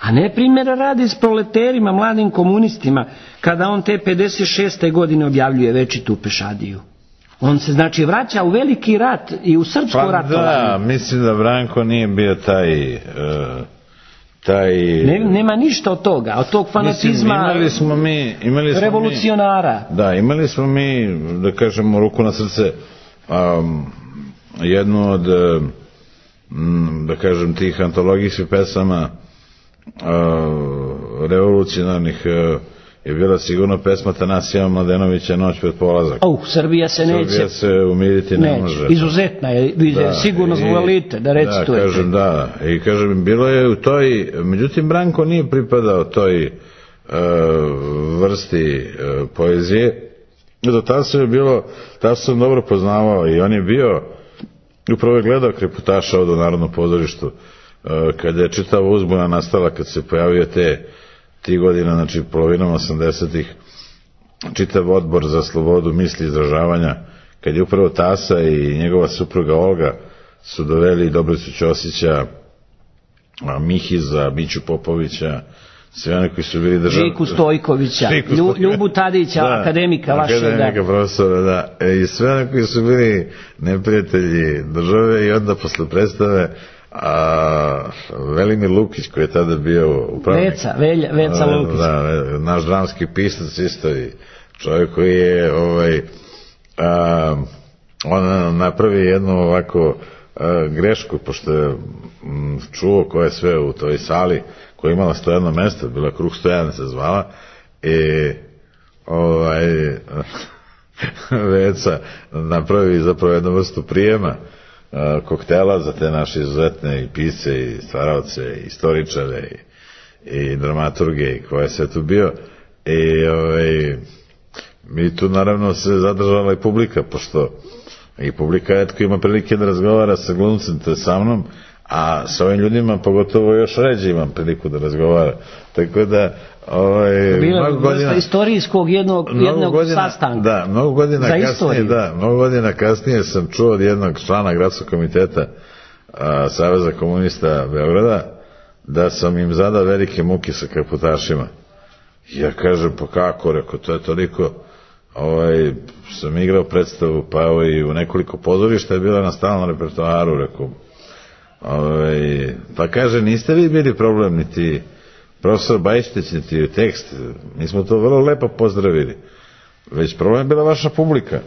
a ne primjera radi s proleterima, mladim komunistima, kada on te pedeset šeste godine objavljuje Večitu pešadiju. On se znači vraća u veliki rat i u srpsko pa ratovanje. Da, mislim da Branko nije bio taj... Uh, taj... Ne, nema ništa od toga, od tog fanatizma. Mislim, imali smo mi... Imali smo revolucionara. Mi, da, imali smo mi, da kažemo, ruku na srce, um, jednu od, um, da kažem, tih antologijskih pesama Uh, revolucionarnih uh, je bila sigurno pesma Tanasija Mladenovića Noć pred polazak. Oh, Srbija se neće. Srbija se umiriti ne neće. može. Izuzetna je, da, sigurno zvolite da recitujete. Da, kažem, da. I kažem, bilo je u toj, međutim, Branko nije pripadao toj uh, vrsti uh, poezije. Do tada se je bilo, tada sam dobro poznavao i on je bio, upravo je gledao Kreputaša od u Narodnom pozorištu, kada je čitava uzbuna nastala, kad se pojavio te ti godina, znači polovinom osamdesetih, čitav odbor za slobodu misli i izražavanja, kad je upravo Tasa i njegova supruga Olga su doveli Dobricu Ćosića, Mihiza, Miću Popovića, sve one koji su bili državni... Žiku Stojkovića, Žiku Stojkovića. Ljubu Tadića, da, akademika vašeg. Akademika, profesora, da. E, I sve one koji su bili neprijatelji države i onda posle predstave a Velimir Lukić koji je tada bio upravnik, Veca, Velja, Veca Lukić, da, naš dramski pisac isto i čovjek koji je ovaj a, on napravi jednu ovako a, grešku, pošto je m, čuo ko je sve u toj sali, koja je imala sto jedno mesto, bila Kruh sto jedan se zvala, i ovaj Veca napravi zapravo jednu vrstu prijema a, koktela za te naše izuzetne i pisce i stvaraoce i istoričare i, i dramaturge i ko je sve tu bio, i ovaj mi tu naravno se zadržala i publika, pošto i publika etko ima prilike da razgovara sa glumcem, to je sa mnom, a sa ovim ljudima pogotovo još ređe imam priliku da razgovara, tako da ovaj, bila vrsta istorijskog jednog, jednog godina, sastanka da, mnogo godina za kasnije, istoriju. da, mnogo godina kasnije sam čuo od jednog člana gradskog komiteta a, Saveza komunista Beograda da sam im zadao velike muke sa kaputašima. Ja kažem, pa kako, rekao, to je toliko, ovaj, sam igrao predstavu, pa evo i u nekoliko pozorišta je bila na stalnom repertoaru, rekao, ovaj, pa kaže, niste vi bili problem, niti profesor Bajštić, niti tekst, mi smo to vrlo lepo pozdravili, već problem je bila vaša publika.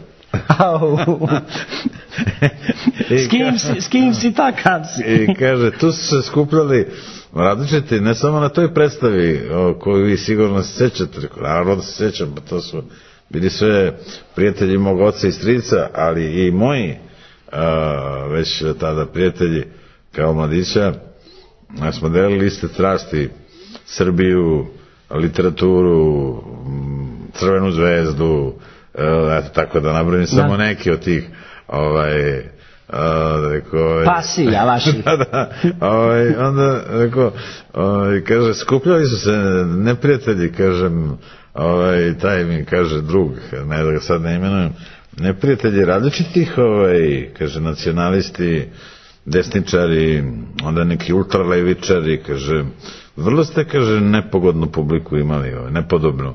s, kim si, s kim si takav si? I kaže, tu su se skupljali različiti, ne samo na toj predstavi o koju vi sigurno se sećate, naravno da se sećam, pa to su bili sve prijatelji mog oca i strica, ali i moji a, već tada prijatelji kao mladića, a smo delili iste strasti, Srbiju, literaturu, Crvenu zvezdu, eto, tako da nabrojim samo neki od tih ovaj a, rekao, pasija vaši. da, da, ovaj, onda rekao, ovaj, kaže, skupljali su se neprijatelji, kažem, ovaj, taj mi kaže drug, ne da ga sad ne imenujem, neprijatelji različitih, ovaj, kaže, nacionalisti, desničari, onda neki ultralevičari, kaže, vrlo ste, kaže, nepogodnu publiku imali, ovaj, nepodobnu.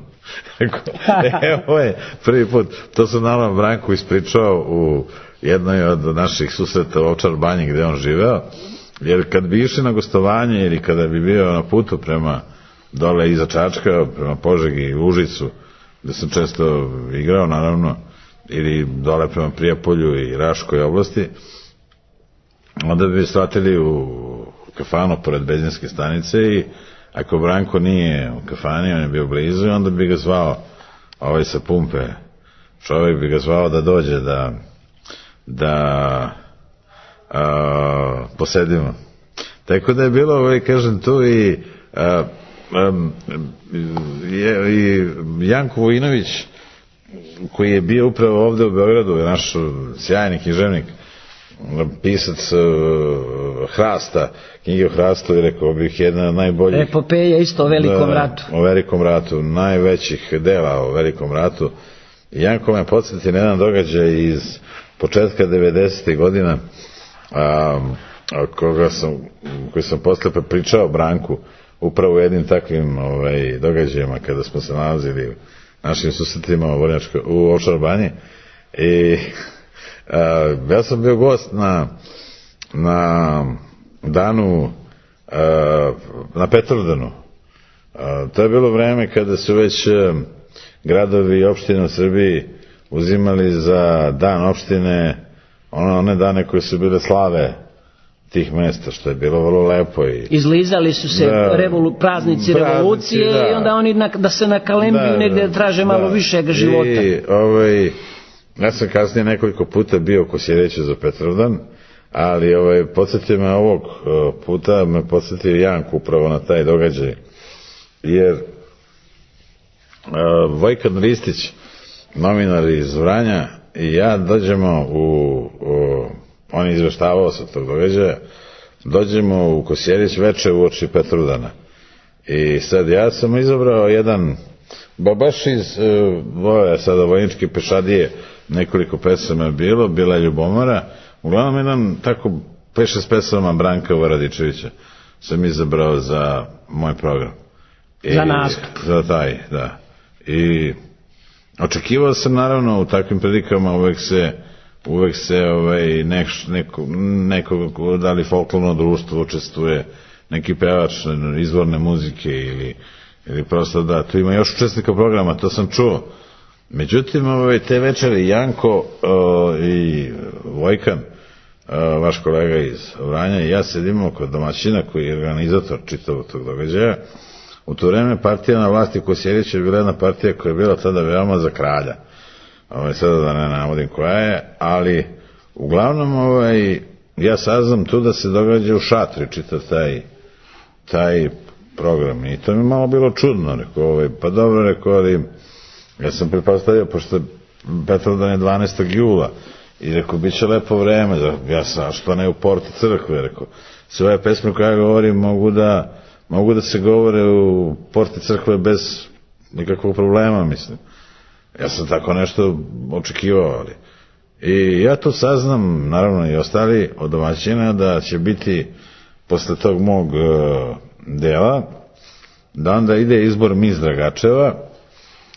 Evo je prvi put, to sam nama Branku ispričao u jednoj od naših susreta u Ovčar banji gde on živeo, jer kad bi išli na gostovanje ili kada bi bio na putu prema dole iza Čačka, prema Požegi i Užicu, gde sam često igrao naravno, ili dole prema Prijepolju i Raškoj oblasti, onda bi shvatili u kafanu pored benzinske stanice i ako Branko nije u kafani, on je bio blizu, onda bi ga zvao ovaj sa pumpe, čovjek bi ga zvao da dođe da da a, posedimo. Tako da je bilo, ovaj, kažem, tu i a, a, je, i Janko Vojinović, koji je bio upravo ovde u Beogradu, je naš sjajni književnik, pisac uh, Hrasta, knjige o Hrastu, i rekao bih jedna od najboljih epopeja isto o Velikom da, ratu. O Velikom ratu, najvećih dela o Velikom ratu. Janko me podsjeti na jedan događaj iz početka devedesetih godina, a, a koga sam, koji sam posle pričao Branku upravo u jednim takvim ovaj, događajima kada smo se nalazili u našim susretima u, u Ovčar banji, i a, ja sam bio gost na na danu a, na Petrovdanu. A, to je bilo vreme kada su već a, gradovi i opštine u Srbiji uzimali za dan opštine one, one dane koje su bile slave tih mesta, što je bilo vrlo lepo. I izlizali su se da, revolu, praznici, praznici revolucije, da, i onda oni na, da se nakalembiju da, negde traže da, malo višeg života. I ovaj, ja sam kasnije nekoliko puta bio ko si reći za Petrovdan, ali ovaj, podsjetio me ovog puta, me podsjetio Janku upravo na taj događaj, jer uh, Vojkan Ristić, novinar iz Vranja, i ja dođemo u, u on je izveštavao sa tog događaja, dođemo u Kosjerić veče u oči Petrovdana, i sad ja sam izabrao jedan baš iz uh, sada vojničke pešadije, nekoliko pesama je bilo, bila je Ljubomora, uglavnom jedan tako pet šest pesama Branka Varadičevića sam izabrao za moj program. I, za nastup. Za taj, da. I očekivao sam naravno u takvim prilikama uvek se uvek se ovaj, nek, neko, neko, da li folklorno društvo učestvuje, neki pevač izvorne muzike ili, ili prosto da, tu ima još učesnika programa, to sam čuo. Međutim, ovaj, te večeri Janko o, i Vojkan, o, vaš kolega iz Vranja i ja sedimo kod domaćina koji je organizator čitavog tog događaja. U to vreme partija na vlasti Kosjerić je bila jedna partija koja je bila tada veoma za kralja. Ovaj, sada da ne navodim koja je, ali uglavnom ovaj, ja saznam tu da se događa u šatri čitav taj, taj program i to mi malo bilo čudno, rekao, ovaj, pa dobro, rekao, ali ja sam pretpostavio, pošto Petrovdan je dvanaestog jula i rekao, bit će lepo vreme, ja sam, što ne u porti crkve, rekao, sve ove pesme koje ja govorim mogu da, mogu da se govore u porti crkve bez nikakvog problema, mislim. Ja sam tako nešto očekivao, ali. I ja to saznam, naravno i ostali od domaćina, da će biti posle tog mog uh, dela, da onda ide izbor Mis Dragačeva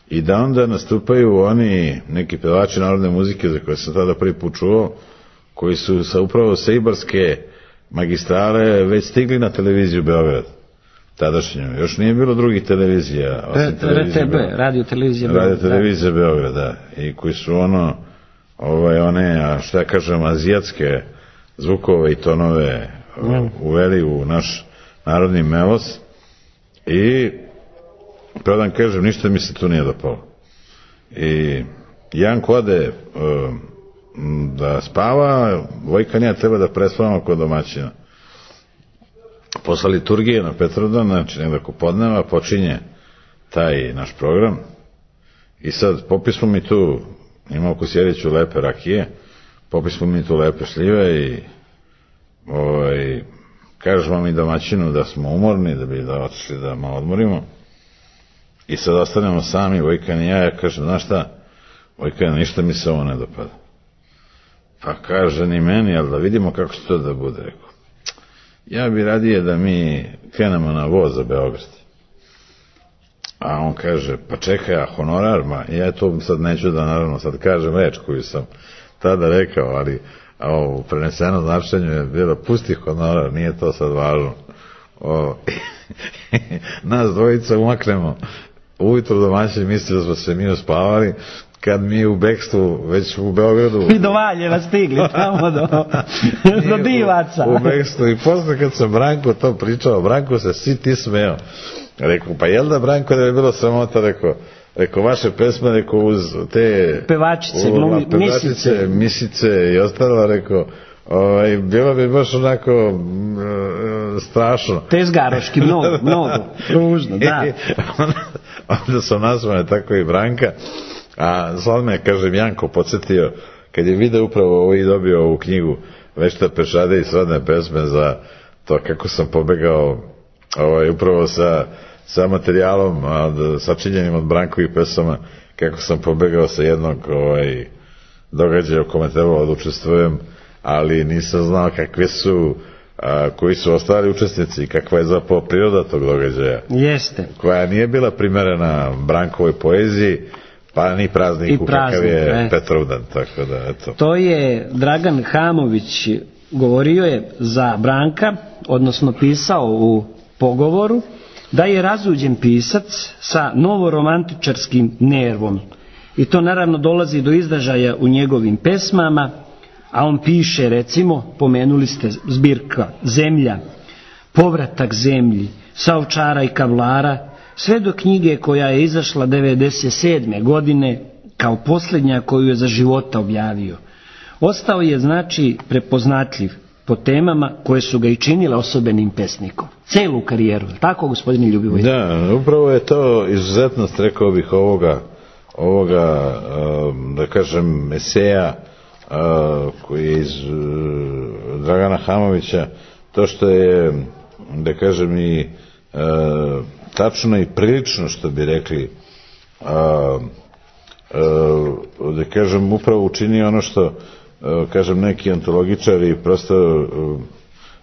i da onda nastupaju oni neki pevači narodne muzike za koje sam tada prvi put čuo, koji su sa upravo sa Ibarske magistrale već stigli na televiziju Beograd. Tadašnju. Još nije bilo drugih televizija. R T B, radio televizija Beograd. Radio televizija Beograd, da. I koji su ono, ovaj, one, a šta ja kažem, azijatske zvukove i tonove mm. uveli u naš narodni melos. I pravo da vam kažem, ništa mi se tu nije dopalo. I Janko ode uh, da spava, Vojkan ja treba da prespavamo kod domaćina. Posle liturgije na Petrovdan, znači negdje oko podneva, počinje taj naš program i sad popismo mi tu, ima u Kosjeriću lepe rakije, popismo mi tu lepe šljive i ovaj, kažemo mi domaćinu da smo umorni, da bi da otišli da malo odmorimo i sad ostanemo sami, Vojkan i ja, ja kažem, znaš šta, Vojkan, ništa mi se ovo ne dopada. Pa kaže ni meni, ali da vidimo kako će to da bude, rekao. Ja bi radije da mi krenemo na voz za Beograd. A on kaže, pa čekaj, a honorar, ma ja to sad neću da naravno sad kažem reč koju sam tada rekao, ali a u prenesenom značenju je bilo pusti honorar, nije to sad važno. O, nas dvojica umaknemo. Ujutro domaćin misli da smo se mi uspavali, kad mi u bekstvu, već u Beogradu... Mi do Valjeva stigli tamo do, do Divaca. U, u bekstvu i posle kad sam Branko to pričao, Branko se si ti smeo. Rekao, pa jel da Branko da je bilo sramota, rekao, rekao, vaše pesme, rekao, uz te... Pevačice, u, glumi, pevačice, misice. Misice i ostalo, rekao, ovaj, bilo bi baš onako m, strašno. Tezgaroški, mnogo, mnogo, ružno, da. onda, onda sam nazvane tako i Branka. A sad me, kažem, Janko podsjetio, kad je video upravo ovo i dobio ovu knjigu Vešta pešade i srodne pesme za to kako sam pobegao ovaj, upravo sa, sa materijalom, od, sačinjenim od Brankovih pesama, kako sam pobegao sa jednog ovaj, događaja u kome trebalo da učestvujem, ali nisam znao kakve su, a, koji su ostali učesnici i kakva je zapravo priroda tog događaja. Jeste. Koja nije bila primerena Brankovoj poeziji, pa ni prazniku kakav je ne. Petrovdan, tako da, eto. To je Dragan Hamović govorio je za Branka, odnosno pisao u pogovoru, da je razuđen pisac sa novoromantičarskim nervom. I to naravno dolazi do izražaja u njegovim pesmama, a on piše, recimo, pomenuli ste zbirka Zemlja, Povratak zemlji, Sa ovčara i kavlara, sve do knjige koja je izašla devedeset sedme godine kao posljednja koju je za života objavio. Ostao je, znači, prepoznatljiv po temama koje su ga i činile osobenim pesnikom. Celu karijeru, tako, gospodine Ljubivoj? Da, upravo je to izuzetnost, rekao bih, ovoga, ovoga da kažem, eseja koji je iz Dragana Hamovića, to što je, da kažem, i tačno i prilično, što bi rekli, a, a, da kažem, upravo učini ono što, a, kažem, neki antologičari prosto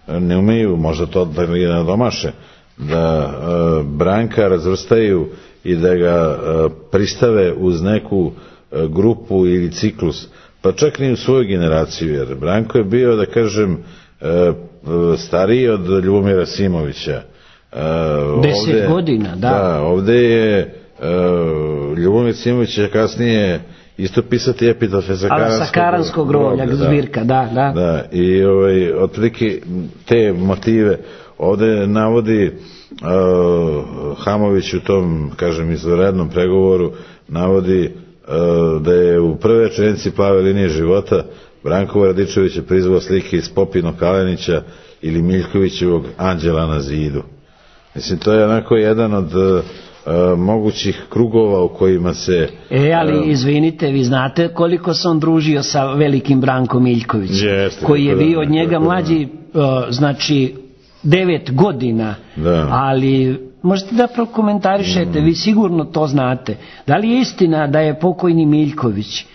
a, ne umeju, možda to da li ne domaše, da a, Branka razvrstaju i da ga a, pristave uz neku a, grupu ili ciklus, pa čak ni u svoju generaciju, jer Branko je bio, da kažem, a, stariji od Ljubomira Simovića. Uh, Deset ovdje, godina, da. Da, ovdje je Ljubomir Simović će kasnije isto pisati epitafe sa Karanskog, sa Karanskog groblja, zbirka, da, da. Da, i ovaj, otprilike te motive ovde navodi uh, Hamović u tom, kažem, izvanrednom pregovoru, navodi uh, da je u prve rečenici Plave linije života Branko Radičević je prizvao slike iz Popinog Kalenića ili Miljkovićevog Anđela na zidu. Mislim, to je onako jedan od uh, mogućih krugova u kojima se... E, ali izvinite, vi znate koliko se on družio sa velikim Brankom Miljkovićem, Jeste, koji je da, bio od njega da, mlađi, uh, znači, devet godina, da. Ali možete da prokomentarišete, mm. vi sigurno to znate. Da li je istina da je pokojni Miljković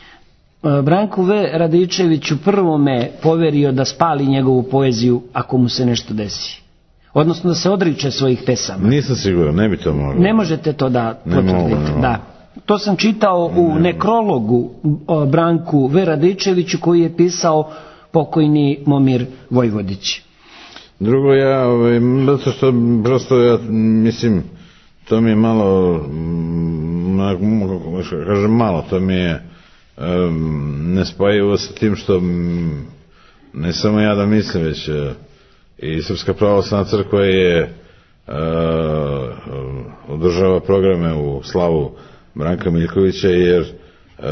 uh, Branku V. Radičeviću prvome poverio da spali njegovu poeziju ako mu se nešto desi? Odnosno da se odriče svojih pesama. Nisam siguran, ne bi to moglo. Ne možete to da potvrdite. Da. To sam čitao u nekrologu o Branku V. Radičeviću koji je pisao pokojni Momir Vojvodić. Drugo, ja, ovaj, zato što prosto ja mislim, to mi je malo, kažem malo, to mi je um, nespojivo sa tim što um, ne samo ja da mislim, već uh, i Srpska pravoslavna crkva je uh, održava programe u slavu Branka Miljkovića jer uh,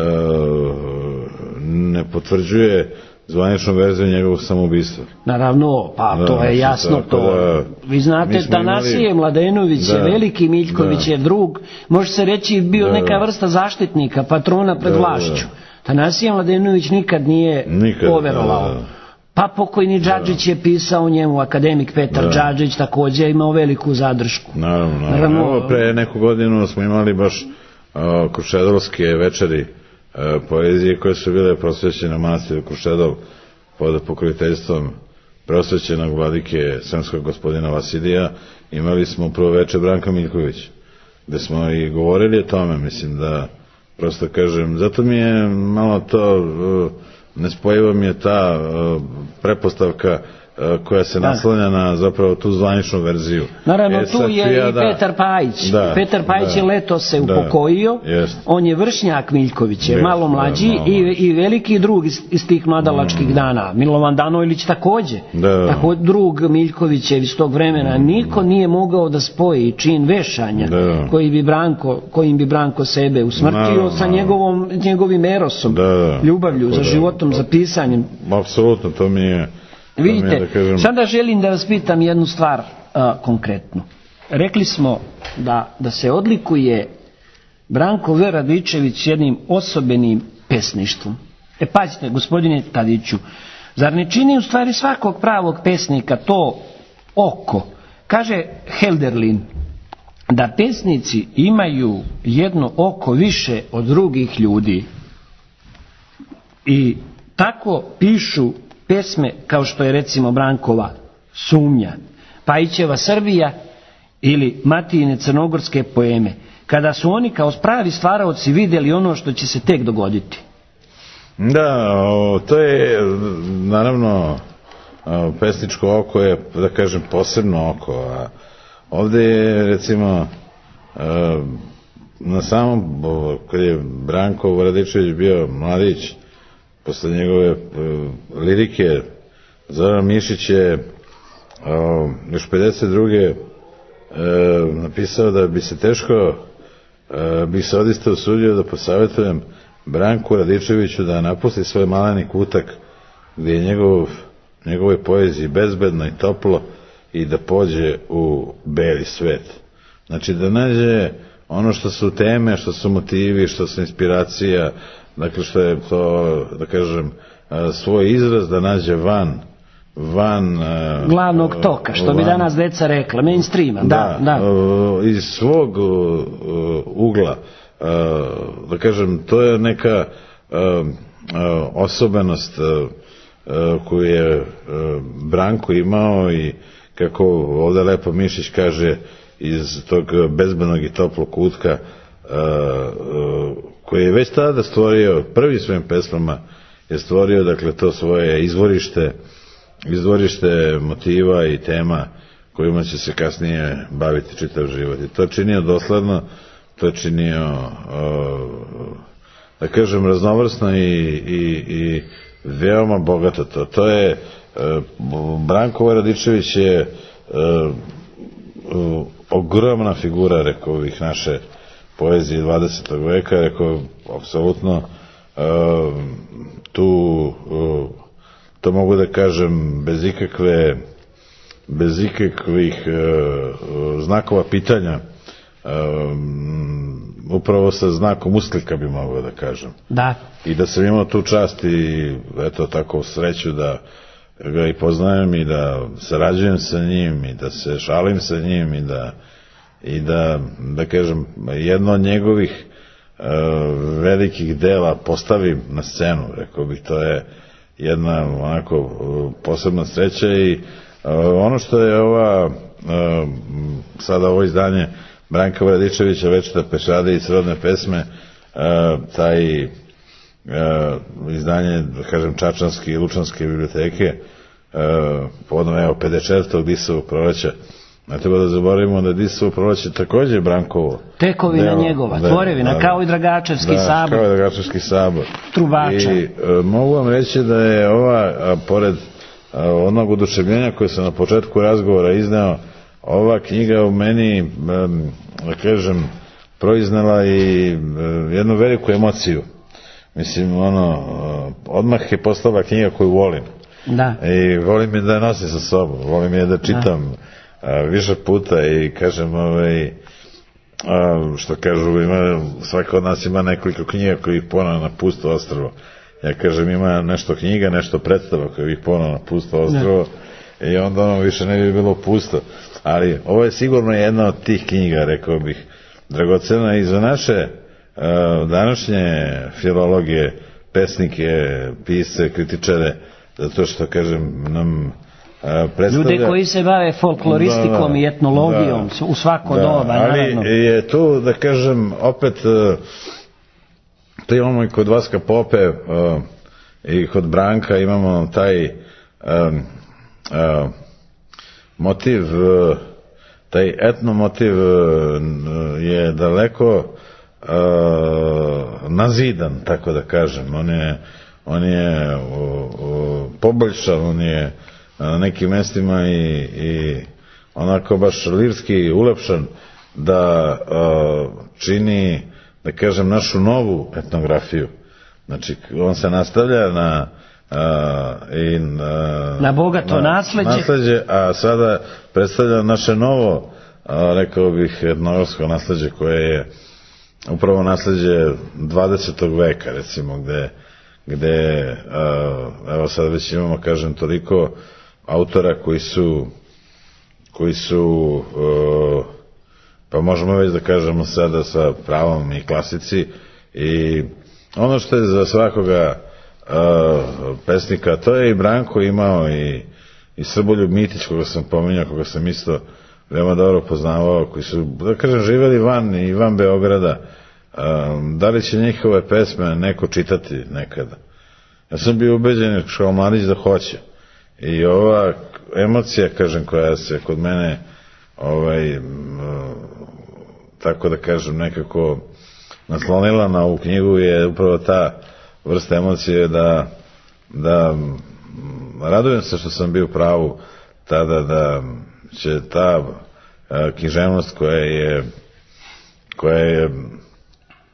ne potvrđuje zvaničnu verziju njegovog samoubistva. Naravno, pa da, to je jasno to. Da, vi znate, Tanasije imali... Mladenović da, je veliki, Miljković da, je drug, može se reći bio da, neka vrsta zaštitnika, patrona pred da, vlašću. Tanasije Mladenović nikad nije nikad, poverovao. Da, da. Pa pokojni Džadžić je pisao njemu, akademik Petar da. Džadžić također imao veliku zadršku. Naravno, naravno. naravno. Pre neku godinu smo imali baš uh, krušedolske večeri uh, poezije koje su bile prosvećene manastiru Krušedol pod pokroviteljstvom prosvećenog vladike srpskog gospodina Vasilija. Imali smo prvo večer Branka Miljkovića, gde smo i govorili o tome, mislim da, prosto kažem, zato mi je malo to... Uh, nespojiva mi je ta uh, prepostavka uh, koja se naslanja na zapravo tu zvaničnu verziju. Naravno, e, tu je i da... Petar Pajić. Da, Petar Pajić da, je leto se da, upokojio, jest. On je vršnjak Miljkovića, je malo mlađi da, malo i, i veliki drug iz, iz tih mladalačkih mm. dana. Milovan Danojlić također. Da. Tako, drug Miljkovićev iz tog vremena. Mm. Niko nije mogao da spoji čin vešanja da. Koji bi Branko, kojim bi Branko sebe usmrtio da, sa njegovom, njegovim erosom, da, ljubavlju da, za životom, da, za pisanjem. Apsolutno, to mi je... Vidite, da kažem... sada želim da vas pitam jednu stvar a, konkretno. Rekli smo da, da se odlikuje Branko V. Radičević jednim osobenim pesništvom. E pazite, gospodine Tadiću, zar ne čini u stvari svakog pravog pesnika to oko? Kaže Helderlin da pesnici imaju jedno oko više od drugih ljudi i tako pišu pesme kao što je recimo Brankova Sumnja, Pajićeva Srbija ili Matijine crnogorske poeme, kada su oni kao pravi stvaraoci vidjeli ono što će se tek dogoditi. Da, o, to je naravno o, pesničko oko je, da kažem, posebno oko, a ovdje je recimo o, na samom, o, kad je Branko Radičević bio mladić, posle njegove uh, lirike Zoran Mišić je uh, još pedeset druge Uh, napisao da bi se teško uh, bi se odista usudio da posavjetujem Branku Radičeviću da napusti svoj maleni kutak gdje je njegov, njegove poeziji bezbedno i toplo i da pođe u beli svet. Znači da nađe ono što su teme, što su motivi, što su inspiracija, dakle što je to, da kažem, svoj izraz da nađe van van glavnog toka, što van, bi danas deca rekla, mainstreama, da, da, da. Iz svog ugla, da kažem, to je neka osobenost koju je Branko imao i kako ovdje lepo Mišić kaže, iz tog bezbednog i toplog kutka koji je već tada stvorio, prvi svojim pesmama je stvorio, dakle, to svoje izvorište, izvorište motiva i tema kojima će se kasnije baviti čitav život. I to činio dosledno, to je činio, da kažem, raznovrsno i, i, i veoma bogato to. To je, Branko Radičević je ogromna figura, rekao bih, naše poezije dvadesetog veka, rekao, apsolutno tu, to mogu da kažem, bez ikakve, bez ikakvih znakova pitanja, upravo sa znakom usklika bi mogao da kažem. Da. I da sam imao tu čast i eto tako sreću da ga i poznajem i da sarađujem sa njim i da se šalim sa njim i da i da, da kažem, jedno od njegovih uh, velikih dela postavim na scenu, rekao bih, to je jedna onako uh, posebna sreća i uh, ono što je ova uh, sada ovo izdanje Branka Radičevića, Večita pešada i srodne pesme, uh, taj uh, izdanje, da kažem, Čačanske i Lučanske biblioteke, uh, povodom evo pedeset četvrtog Disovog proleća. Ne treba da zaboravimo da Disovo proleće takođe je Brankovo. Tekovina delo, njegova, da, tvorevina, da, kao i Dragačevski da, sabor. kao i Dragačevski sabor. Trubača. I uh, mogu vam reći da je ova, a, pored a, onog oduševljenja koje sam na početku razgovora izneo, ova knjiga u meni, um, da kažem, proiznala i um, jednu veliku emociju. Mislim, ono, uh, odmah je postala knjiga koju volim. Da. I volim je da je nosim sa sobom, volim je da čitam da. A, više puta i kažem, ovaj, a, što kažu, ima, svaka od nas ima nekoliko knjiga koji ih ponovno na pusto ostrvo. Ja kažem, ima nešto knjiga, nešto predstava koji ih ponovno na pusto ostrvo da. I onda ono više ne bi bilo pusto. Ali ovo je sigurno jedna od tih knjiga, rekao bih, dragocena i za naše a, današnje filologije, pesnike, pisce, kritičare, zato što, kažem, nam a, predstavlja... Ljude koji se bave folkloristikom da, da, i etnologijom da, u svako da, doba, naravno. Ali je tu, da kažem, opet, to imamo i kod Vaska Pope a, i kod Branka imamo taj a, a, motiv, a, taj etno motiv a, je daleko a, nazidan, tako da kažem. On je on je o, o, poboljšan, on je na nekim mestima i, i onako baš lirski ulepšan da o, čini, da kažem, našu novu etnografiju. Znači, on se nastavlja na a, i na, na bogato na, nasleđe. nasleđe, a sada predstavlja naše novo, a, rekao bih, etnografsko nasleđe koje je upravo nasleđe dvadesetog veka, recimo, gde gde, evo sad već imamo, kažem, toliko autora koji su koji su pa možemo već da kažemo sada sa pravom i klasici i ono što je za svakoga pesnika, to je i Branko imao i, i Srboljub Mitić, koga sam pominjao, koga sam isto veoma dobro poznavao, koji su, da kažem, živeli van i van Beograda. Da li će njihove pesme neko čitati nekada? Ja sam bio ubeđen kao mladić da hoće. I ova emocija, kažem, koja se kod mene ovaj, tako da kažem, nekako naslonila na ovu knjigu je upravo ta vrsta emocije da, da radujem se što sam bio u pravu tada da će ta književnost koja je koja je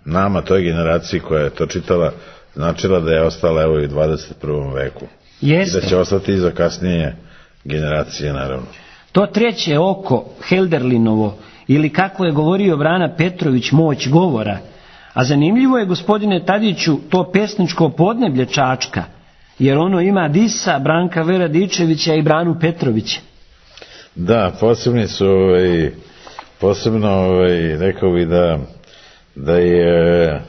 nama, toj generaciji koja je to čitala, značila da je ostala evo i u dvadeset prvom veku. Jeste. I da će ostati i za kasnije generacije, naravno. To treće oko Helderlinovo, ili kako je govorio Brana Petrović, moć govora. A zanimljivo je, gospodine Tadiću, to pesničko podneblje Čačka, jer ono ima Disa, Branka Radičevića i Branu Petrovića. Da, posebni su, ovaj, posebno, ovaj, rekao bi da da je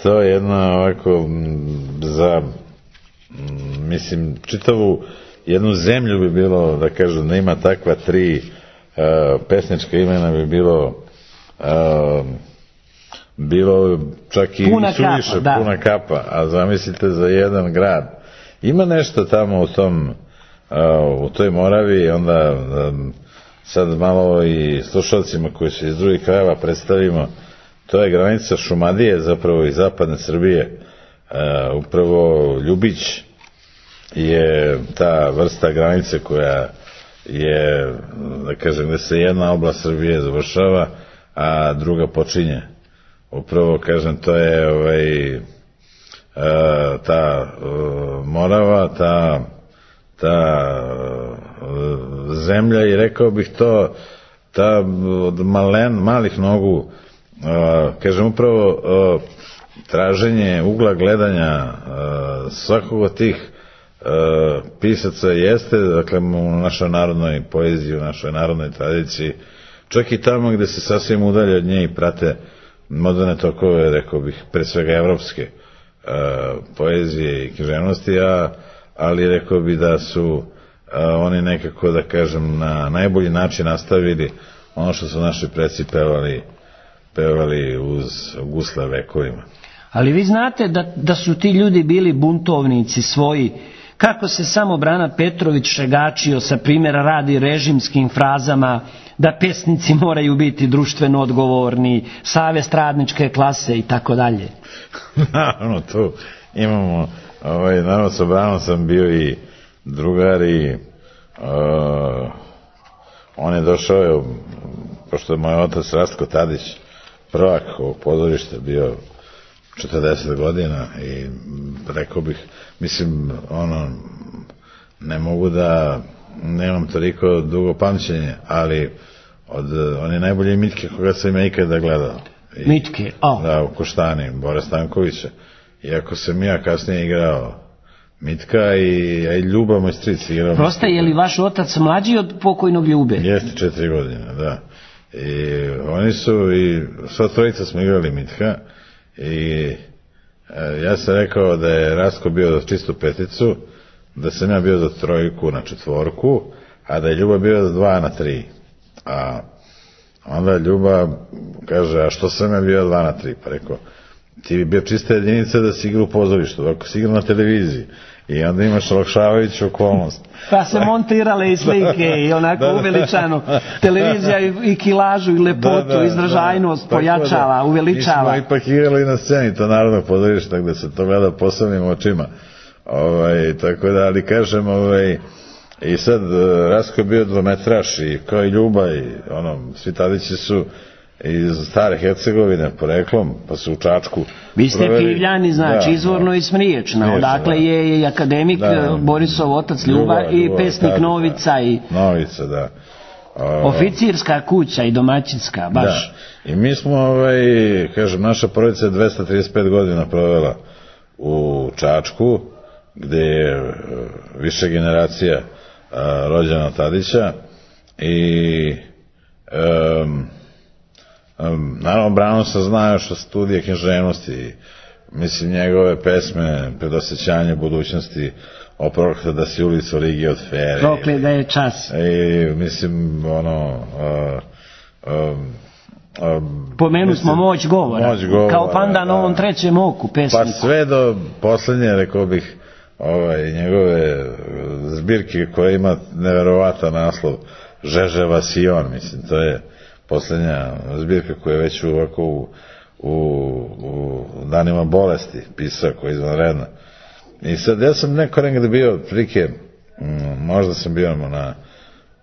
to jedno ovako za, mislim, čitavu jednu zemlju bi bilo, da kažem, da ima takva tri uh, pesnička imena bi bilo uh, bilo čak i puna suviše, kapa, da. puna kapa, a zamislite za jedan grad. Ima nešto tamo u tom uh, u toj Moravi, onda um, sad malo i slušalcima koji se iz drugih krajeva predstavimo, to je granica Šumadije, zapravo i zapadne Srbije. E, upravo Ljubić je ta vrsta granice koja je, da kažem, gde se jedna oblast Srbije završava, a druga počinje. Upravo, kažem, to je ovaj, e, ta e, Morava, ta, ta e, zemlja i rekao bih to, ta od malen, malih nogu, e, kažem, upravo e, traženje ugla gledanja e, svakog od tih e, pisaca jeste, dakle, u našoj narodnoj poeziji, u našoj narodnoj tradiciji, čak i tamo gde se sasvim udalje od nje i prate moderne tokove, rekao bih, pre svega evropske e, poezije i književnosti, a, ali rekao bih da su e, oni nekako, da kažem, na najbolji način nastavili ono što su naši preci pevali, pevali uz gusle vekovima. Ali vi znate da, da su ti ljudi bili buntovnici svoji, kako se samo Brana Petrović šegačio sa primjera radi režimskim frazama da pesnici moraju biti društveno odgovorni, savest radničke klase i tako dalje. Naravno, tu imamo, ovaj, naravno sa Branom sam bio i drugar i uh, on je došao, pošto je moj otac Rastko Tadić, prvak ovog pozorišta, bio četrdeset godina i rekao bih, mislim, ono, ne mogu da nemam toliko dugo pamćenje, ali od one najbolje Mitke koga sam ja ikada gledao. I, Mitke, o. Da, u Koštani, Bore Stankovića. Iako sam ja kasnije igrao Mitka i, a i Ljuba, moj stric igrao. Prosta, je li vaš otac mlađi od pokojnog Ljube? Jeste, četiri godine, da. I oni su, i sva trojica smo igrali Mitka i e, ja sam rekao da je Rastko bio za čistu peticu, da sam ja bio za trojku na četvorku, a da je Ljuba bio za dva na tri. A onda Ljuba kaže, a što sam ja bio dva na tri? Pa rekao, ti bi bio čista jedinica da si igra u pozorištu, ako si igra na televiziji. I onda imaš olakšavajuću okolnost. Pa se montirale i slike i onako da, da, uveličano. Televizija i, i kilažu i lepotu, da, da, izražajnost da, pojačava, da, uveličava. Mi smo ipak igrali na sceni to narodno pozorište gde se to gleda posebnim očima. Ovaj, tako da, ali kažem, ovaj, i sad Rastko je bio dvometraš i kao i Ljuba i ono, svi Tadići su iz stare Hercegovine poreklom, pa su u Čačku. Vi ste Pivljani, znači, da, izvorno da, i Smriječna, odakle da. je i akademik da, Borisov otac Ljuba, Ljuba i Ljuba, pesnik tako, Novica da. i Novica, da. O, oficirska kuća i domaćinska, baš. Da. I mi smo, ovaj, kažem, naša porodica je dvesta trideset pet godina provela u Čačku, gde je više generacija a, rođena Tadića i um, um, naravno Brano se zna još od studije književnosti, mislim njegove pesme Predosjećanje budućnosti, Oprokle da si ulicu Rigi od Fere. Prokle da je čas. I mislim ono uh, um, um, pomenu smo moć govora, moć govora kao Panda na ovom trećem oku pesniku. Pa sve do poslednje, rekao bih, ovaj, njegove zbirke koja ima neverovatan naslov Žeževa Sion, mislim, to je poslednja zbirka koja je već ovako u, u, u danima bolesti pisao, koja je izvanredna. I sad ja sam neko negde bio prilike, možda sam bio na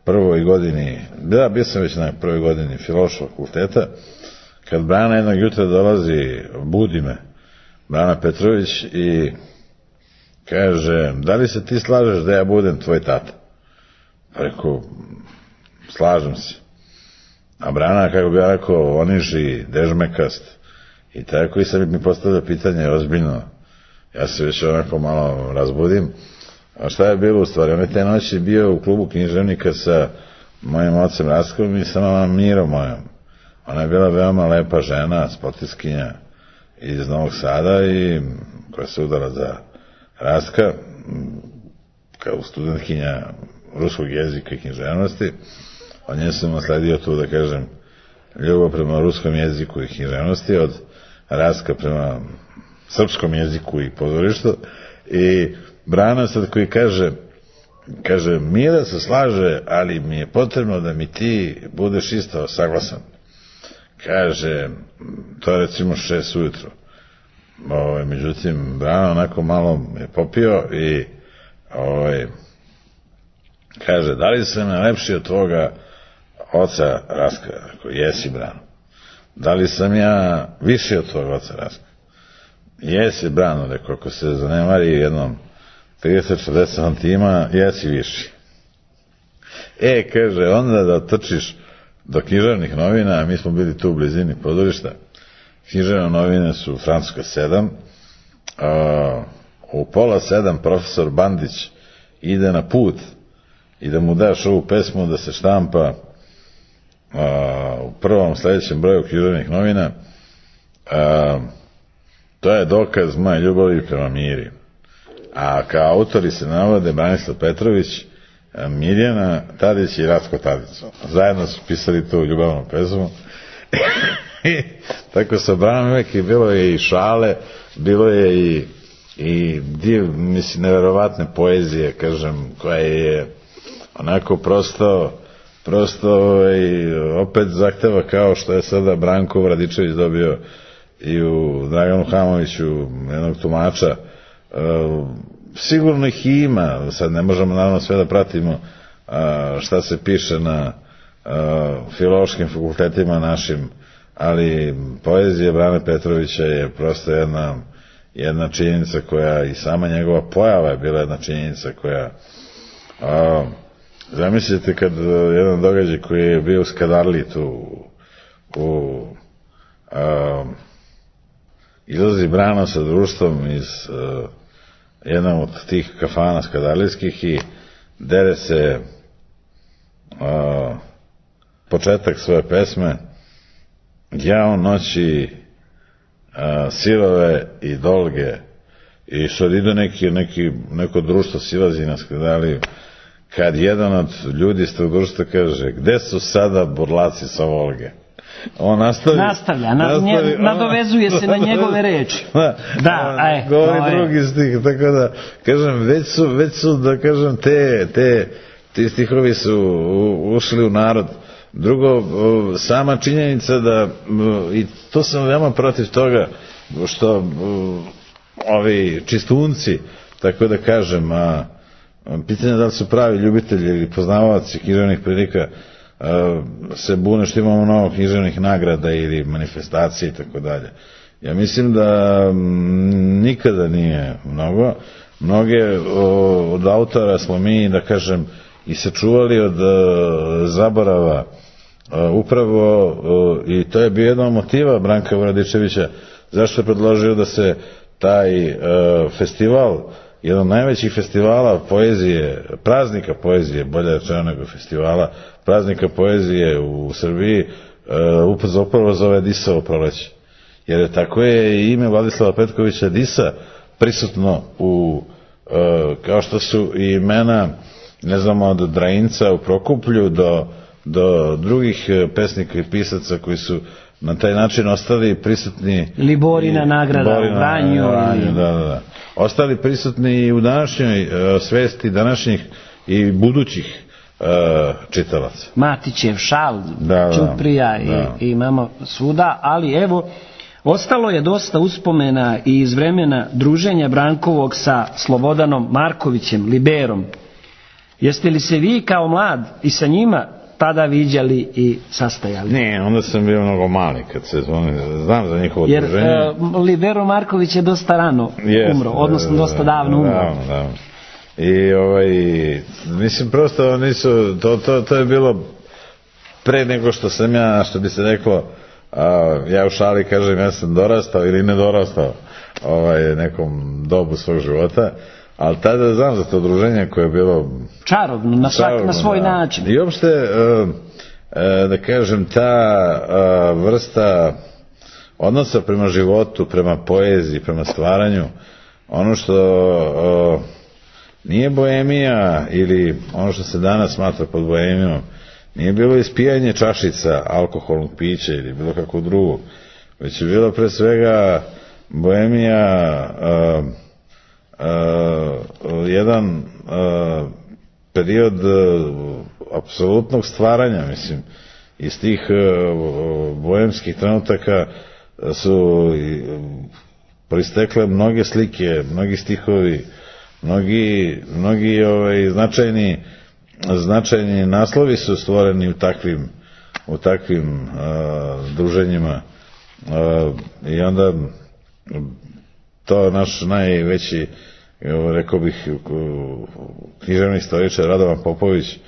prvoj godini, da, bio sam već na prvoj godini filološkog fakulteta, kad Brana jednog jutra dolazi, budi me, Brana Petrović, i kaže, da li se ti slažeš da ja budem tvoj tata? Pa rekao, slažem se. A Brana, kako bi ja rekao, oniži, dežmekast. I tako i sad mi postavlja pitanje ozbiljno. Ja se već onako malo razbudim. A šta je bilo u stvari? On je te noći bio u klubu književnika sa mojim ocem Rastkom i sa mamom Mirom mojom. Ona je bila veoma lepa žena, sportiskinja iz Novog Sada i koja se udala za Rastka, kao studentkinja ruskog jezika i književnosti. Od nje sam nasledio tu, da kažem, ljubav prema ruskom jeziku i književnosti, od Rastka prema srpskom jeziku i pozorištu. I Brana sad koji kaže, kaže, Mira se slaže, ali mi je potrebno da mi ti budeš isto saglasan. Kaže, to je recimo šest ujutro. Ovaj, međutim, Brano onako malo je popio i ovaj, kaže, da li sam ja lepši od tvoga oca Raska? Ako jesi, Brano. Da li sam ja više od tvoga oca Raska? Jesi, Brano, rekao, ako se zanemari jednom trideset četrdeset santima, jesi viši. E, kaže, onda da trčiš do književnih novina, a mi smo bili tu u blizini područja. Književne novine su u Francuskoj sedam. A, u pola sedam profesor Bandić ide na put i da mu daš ovu pesmu da se štampa a, u prvom sljedećem broju književnih novina. A, to je dokaz moje ljubavi prema Miri. A kao autori se navode Branislav Petrović, Mirjana Tadić i Ratko Tadić. Zajedno su pisali tu ljubavnu pesmu. Tako sa Branom uvek i bilo je i šale, bilo je i, i div, mislim, neverovatne poezije, kažem, koja je onako prosto, prosto i opet zahteva kao što je sada Branko Vradičević dobio i u Draganu Hamoviću jednog tumača. Uh, sigurno ih ima, sad ne možemo naravno sve da pratimo uh, šta se piše na uh, filološkim fakultetima našim, ali poezija Brane Petrovića je prosto jedna, jedna činjenica koja, i sama njegova pojava je bila jedna činjenica koja, uh, zamislite kad jedan događaj koji je bio u Skadarliji tu u uh, izlazi Brano sa društvom iz uh, jednom od tih kafana skadarlijskih i dere se uh, početak svoje pesme Ja on noći uh, sirove i dolge, i sad ide neki, neki, neko društvo silazi na Skadarliju, kad jedan od ljudi iz tog društva kaže, gde su sada burlaci sa Volge? On nastavi, nastavlja, na, nastavi, nje, nadovezuje se na njegove reči. Da, da aj, govori drugi stih, tako da, kažem, već su, već su, da kažem, te, te, ti stihovi su ušli u narod. Drugo, sama činjenica da, i to sam veoma protiv toga, što ovi čistunci, tako da kažem, a, pitanje da li su pravi ljubitelji ili poznavaoci književnih prilika, se bune što imamo mnogo književnih nagrada ili manifestacije i tako dalje. Ja mislim da nikada nije mnogo. Mnoge od autora smo mi, da kažem, i sačuvali od zaborava upravo, i to je bio jedan od motiva Branka Vradičevića zašto je predložio da se taj festival, jedan od najvećih festivala poezije, praznika poezije, bolje rečeno nego festivala, praznika poezije u Srbiji, uh, upravo zove Disovo proleće. Jer tako je i ime Vladislava Petkovića Disa prisutno u, uh, kao što su i imena, ne znamo, od Drajinca u Prokuplju do, do drugih pesnika i pisaca koji su na taj način ostali prisutni. Ili Borina nagrada Borina, u Vranju. Ili... Da, da, da. Ostali prisutni i u današnjoj uh, svesti današnjih i budućih uh, čitalaca. Matićev šal, da, Ćuprija i, da. i imamo svuda, ali evo, ostalo je dosta uspomena i iz vremena druženja Brankovog sa Slobodanom Markovićem, Liberom. Jeste li se vi kao mlad i sa njima tada viđali i sastajali? Ne, onda sam bio mnogo mali kad se zvoni, znam za njihovo jer, druženje. Jer uh, Libero Marković je dosta rano yes, umro, odnosno da, dosta davno umro. Davno, davno. I ovaj, mislim prosto nisu, to, to, to je bilo pre nego što sam ja, što bi se reklo, a, ja u šali kažem ja sam dorastao ili ne dorastao ovaj, nekom dobu svog života. Ali tada znam za to druženje koje je bilo čarobno, na, svak, čarobno, na svoj da. način. I uopšte, uh, uh, da kažem, ta uh, vrsta odnosa prema životu, prema poeziji, prema stvaranju, ono što uh, nije boemija ili ono što se danas smatra pod boemijom, nije bilo ispijanje čašica alkoholnog pića ili bilo kako drugo, već je bilo pre svega boemija uh, Uh, jedan uh, period apsolutnog stvaranja, mislim, iz tih boemskih trenutaka su proistekle mnoge slike, mnogi stihovi, mnogi, mnogi ovaj, značajni, značajni naslovi su stvoreni u takvim, u takvim uh, druženjima. Uh, I onda to naš najveći, rekao bih, književni istoričar Radovan Popović,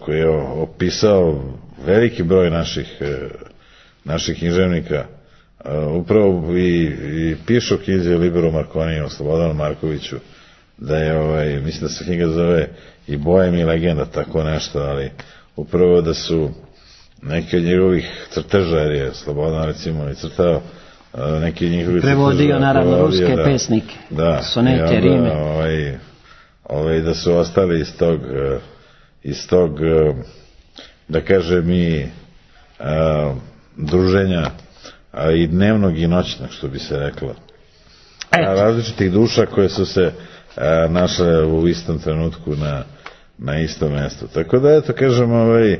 koji je opisao veliki broj naših, naših književnika, upravo i, i pišu knjize Liberu Markoniju, Slobodanu Markoviću, da je, ovaj, mislim da se knjiga zove i Bojem i legenda, tako nešto, ali upravo da su neki od njegovih crteža, jer je Slobodan recimo i crtao neki njihovi prevodio naravno prevodio, ruske da, pesnike, da, sonete, rime, ovaj, ovaj, da su ostali iz tog iz tog da kažem i a, druženja, a i dnevnog i noćnog, što bi se reklo, a, različitih duša koje su se a, našle u istom trenutku na, na istom mjestu. Tako da eto kažem, ovaj, a,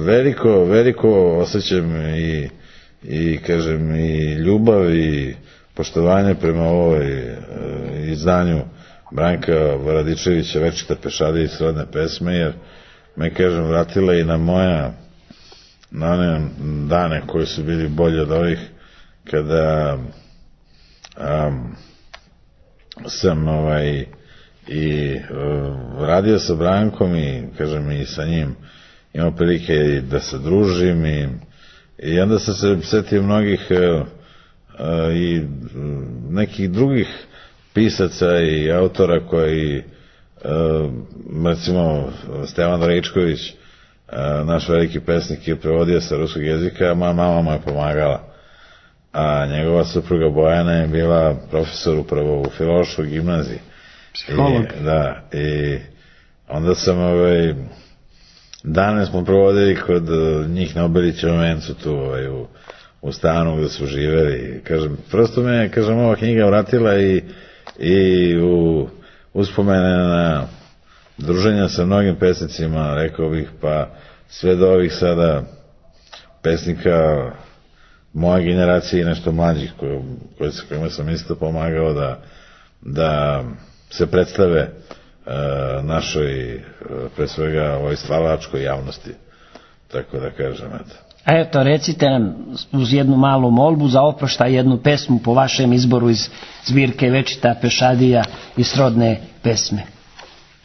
veliko veliko osjećam i i kažem i ljubav i poštovanje prema ovoj e, izdanju Branka Varadičevića Večite pešadije i srodne pesme, jer me, kažem, vratila i na moja na one dane koji su bili bolji od ovih, kada um, sam ovaj i uh, radio sa Brankom i, kažem, i sa njim imao prilike i da se družim i I onda sam se setio mnogih uh, uh, i nekih drugih pisaca i autora koji, uh, recimo Stevan Rejčković, uh, naš veliki pesnik, je prevodio sa ruskog jezika, a moja mama mu je pomagala. A njegova supruga Bojana je bila profesor upravo u Filološkoj gimnaziji. Psiholog. I, da, i onda sam ovaj... Dane smo provodili kod njih na Obelićevom vencu tu ovaj, u, u stanu gde su živeli. Kažem, prosto me, kažem, ova knjiga vratila i, i u uspomene na druženja sa mnogim pesnicima, rekao bih, pa sve do ovih sada pesnika moje generacije i nešto mlađih koje, koje, kojima sam isto pomagao da, da se predstave našoj, pre svega, ovoj stvaralačkoj javnosti, tako da kažem, eto. A eto, recite nam uz jednu malu molbu za oproštaj jednu pesmu po vašem izboru iz zbirke Večita pešadija i srodne pesme.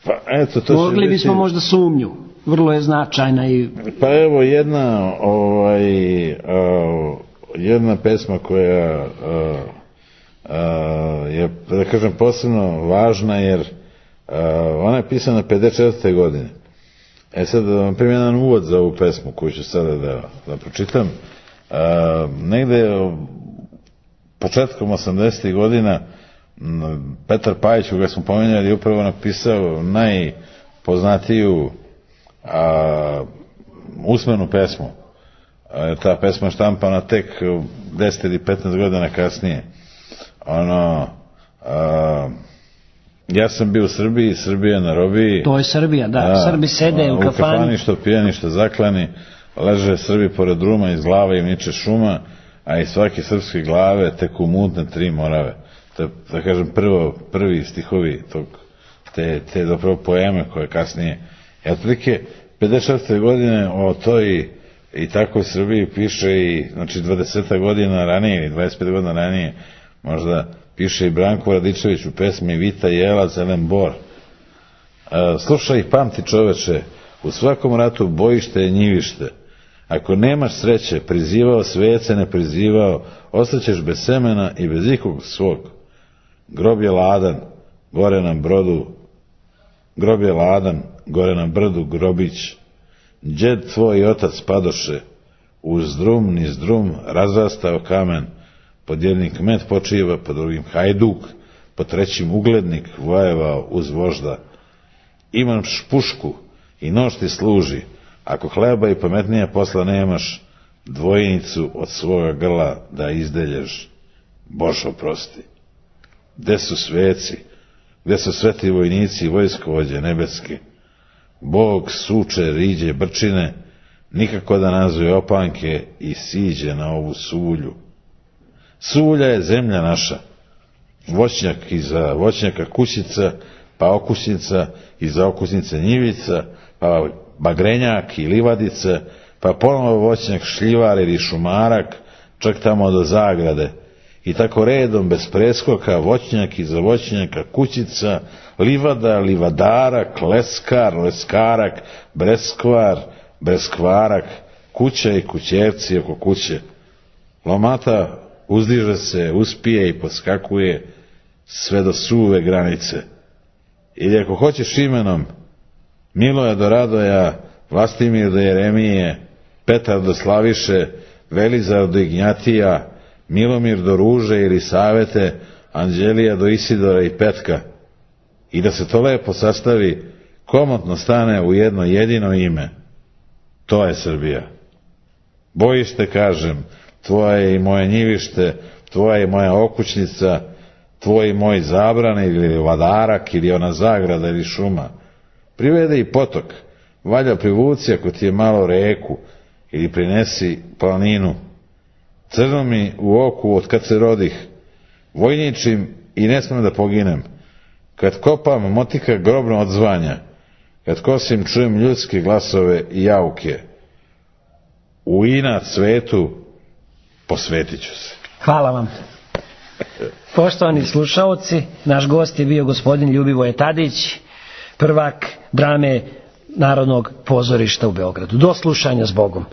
Pa eto, to mogli biti... bismo možda Sumnju, vrlo je značajna i... Pa evo jedna ovaj, uh, jedna pesma koja uh, uh, je, da kažem, posebno važna, jer Uh, ona je pisana pedeset četvrte godine. E sad da vam primim jedan uvod za ovu pesmu koju ću sada da, da pročitam. Uh, negde početkom osamdesetih godina Petar Pajić, koga smo pomenjali, je upravo napisao najpoznatiju uh, usmenu pesmu. Uh, ta pesma štampana tek deset ili petnaest godina kasnije. Ono... Uh, Ja sam bio u Srbiji, Srbija na robiji. To je Srbija, da. da Srbi sede u kafani. U kafani što pijani, što zaklani. Leže Srbi pored druma, iz glava im niče šuma, a iz svake srpske glave teku mutne tri morave. To je, da kažem, prvo, prvi stihovi tog, te, te zapravo poeme koje kasnije. I otprilike pedeset četvrte godine o toj i takvoj Srbiji piše i, znači, dvadeset godina ranije ili dvadeset pet godina ranije možda piše i Branko Varadičević u pesmi Vita jela zelen bor. E, slušaj i pamti, čoveče, u svakom ratu bojište je njivište. Ako nemaš sreće, prizivao svece, ne prizivao, ostaćeš bez semena i bez ikog svog. Grob je ladan, gore na brodu, grob je ladan, gore na brdu grobić. Đed tvoj otac padoše, uz drum niz drum razrastao kamen. Pod jednim kmet počiva, pod drugim hajduk, pod trećim uglednik vojevao uz vožda. Imaš pušku i nož ti služi, ako hleba i pametnija posla nemaš, dvojnicu od svoga grla da izdelješ, Bož oprosti. Gde su sveci? gde su sveti vojnici i vojskovođe nebeski. Bog suče riđe brčine, nikako da nazove opanke i siđe na ovu Suvulju. Suvulja je zemlja naša, voćnjak iza voćnjaka kućica, pa okusnica iza okusnice njivica, pa bagrenjak i livadica, pa ponovo voćnjak šljivar ili šumarak, čak tamo do Zagrade. I tako redom bez preskoka voćnjak iza voćnjaka kućica, livada, livadarak, leskar, leskarak, breskvar, breskvarak, kuća i kućevci oko kuće. Lomata uzdiže se, uspije i poskakuje sve do suve granice. Ili ako hoćeš imenom, Miloja do Radoja, Vlastimir do Jeremije, Petar do Slaviše, Velizar do Ignjatija, Milomir do Ruže ili Savete, Anđelija do Isidora i Petka. I da se to lepo sastavi, komotno stane u jedno jedino ime. To je Srbija. Bojište, kažem, tvoje i moje njivište, tvoja i moja okućnica, tvoj i moj zabran ili vadarak ili ona zagrada ili šuma. Privede i potok, valja privuci ako ti je malo reku ili prinesi planinu. Crno mi u oku od kad se rodih, vojničim i ne smem da poginem. Kad kopam, motika grobno odzvanja, kad kosim čujem ljudske glasove i jauke. U inat svetu posvetit ću se. Hvala vam. Poštovani slušaoci, naš gost je bio gospodin Ljubivoje Tadić, prvak drame Narodnog pozorišta u Beogradu. Do slušanja, s Bogom.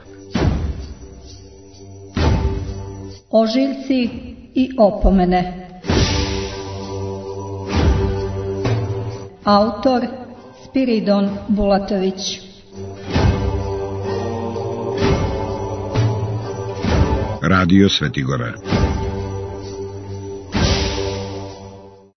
Ožiljci i opomene. Autor Spiridon Bulatović. Radio Svetigora.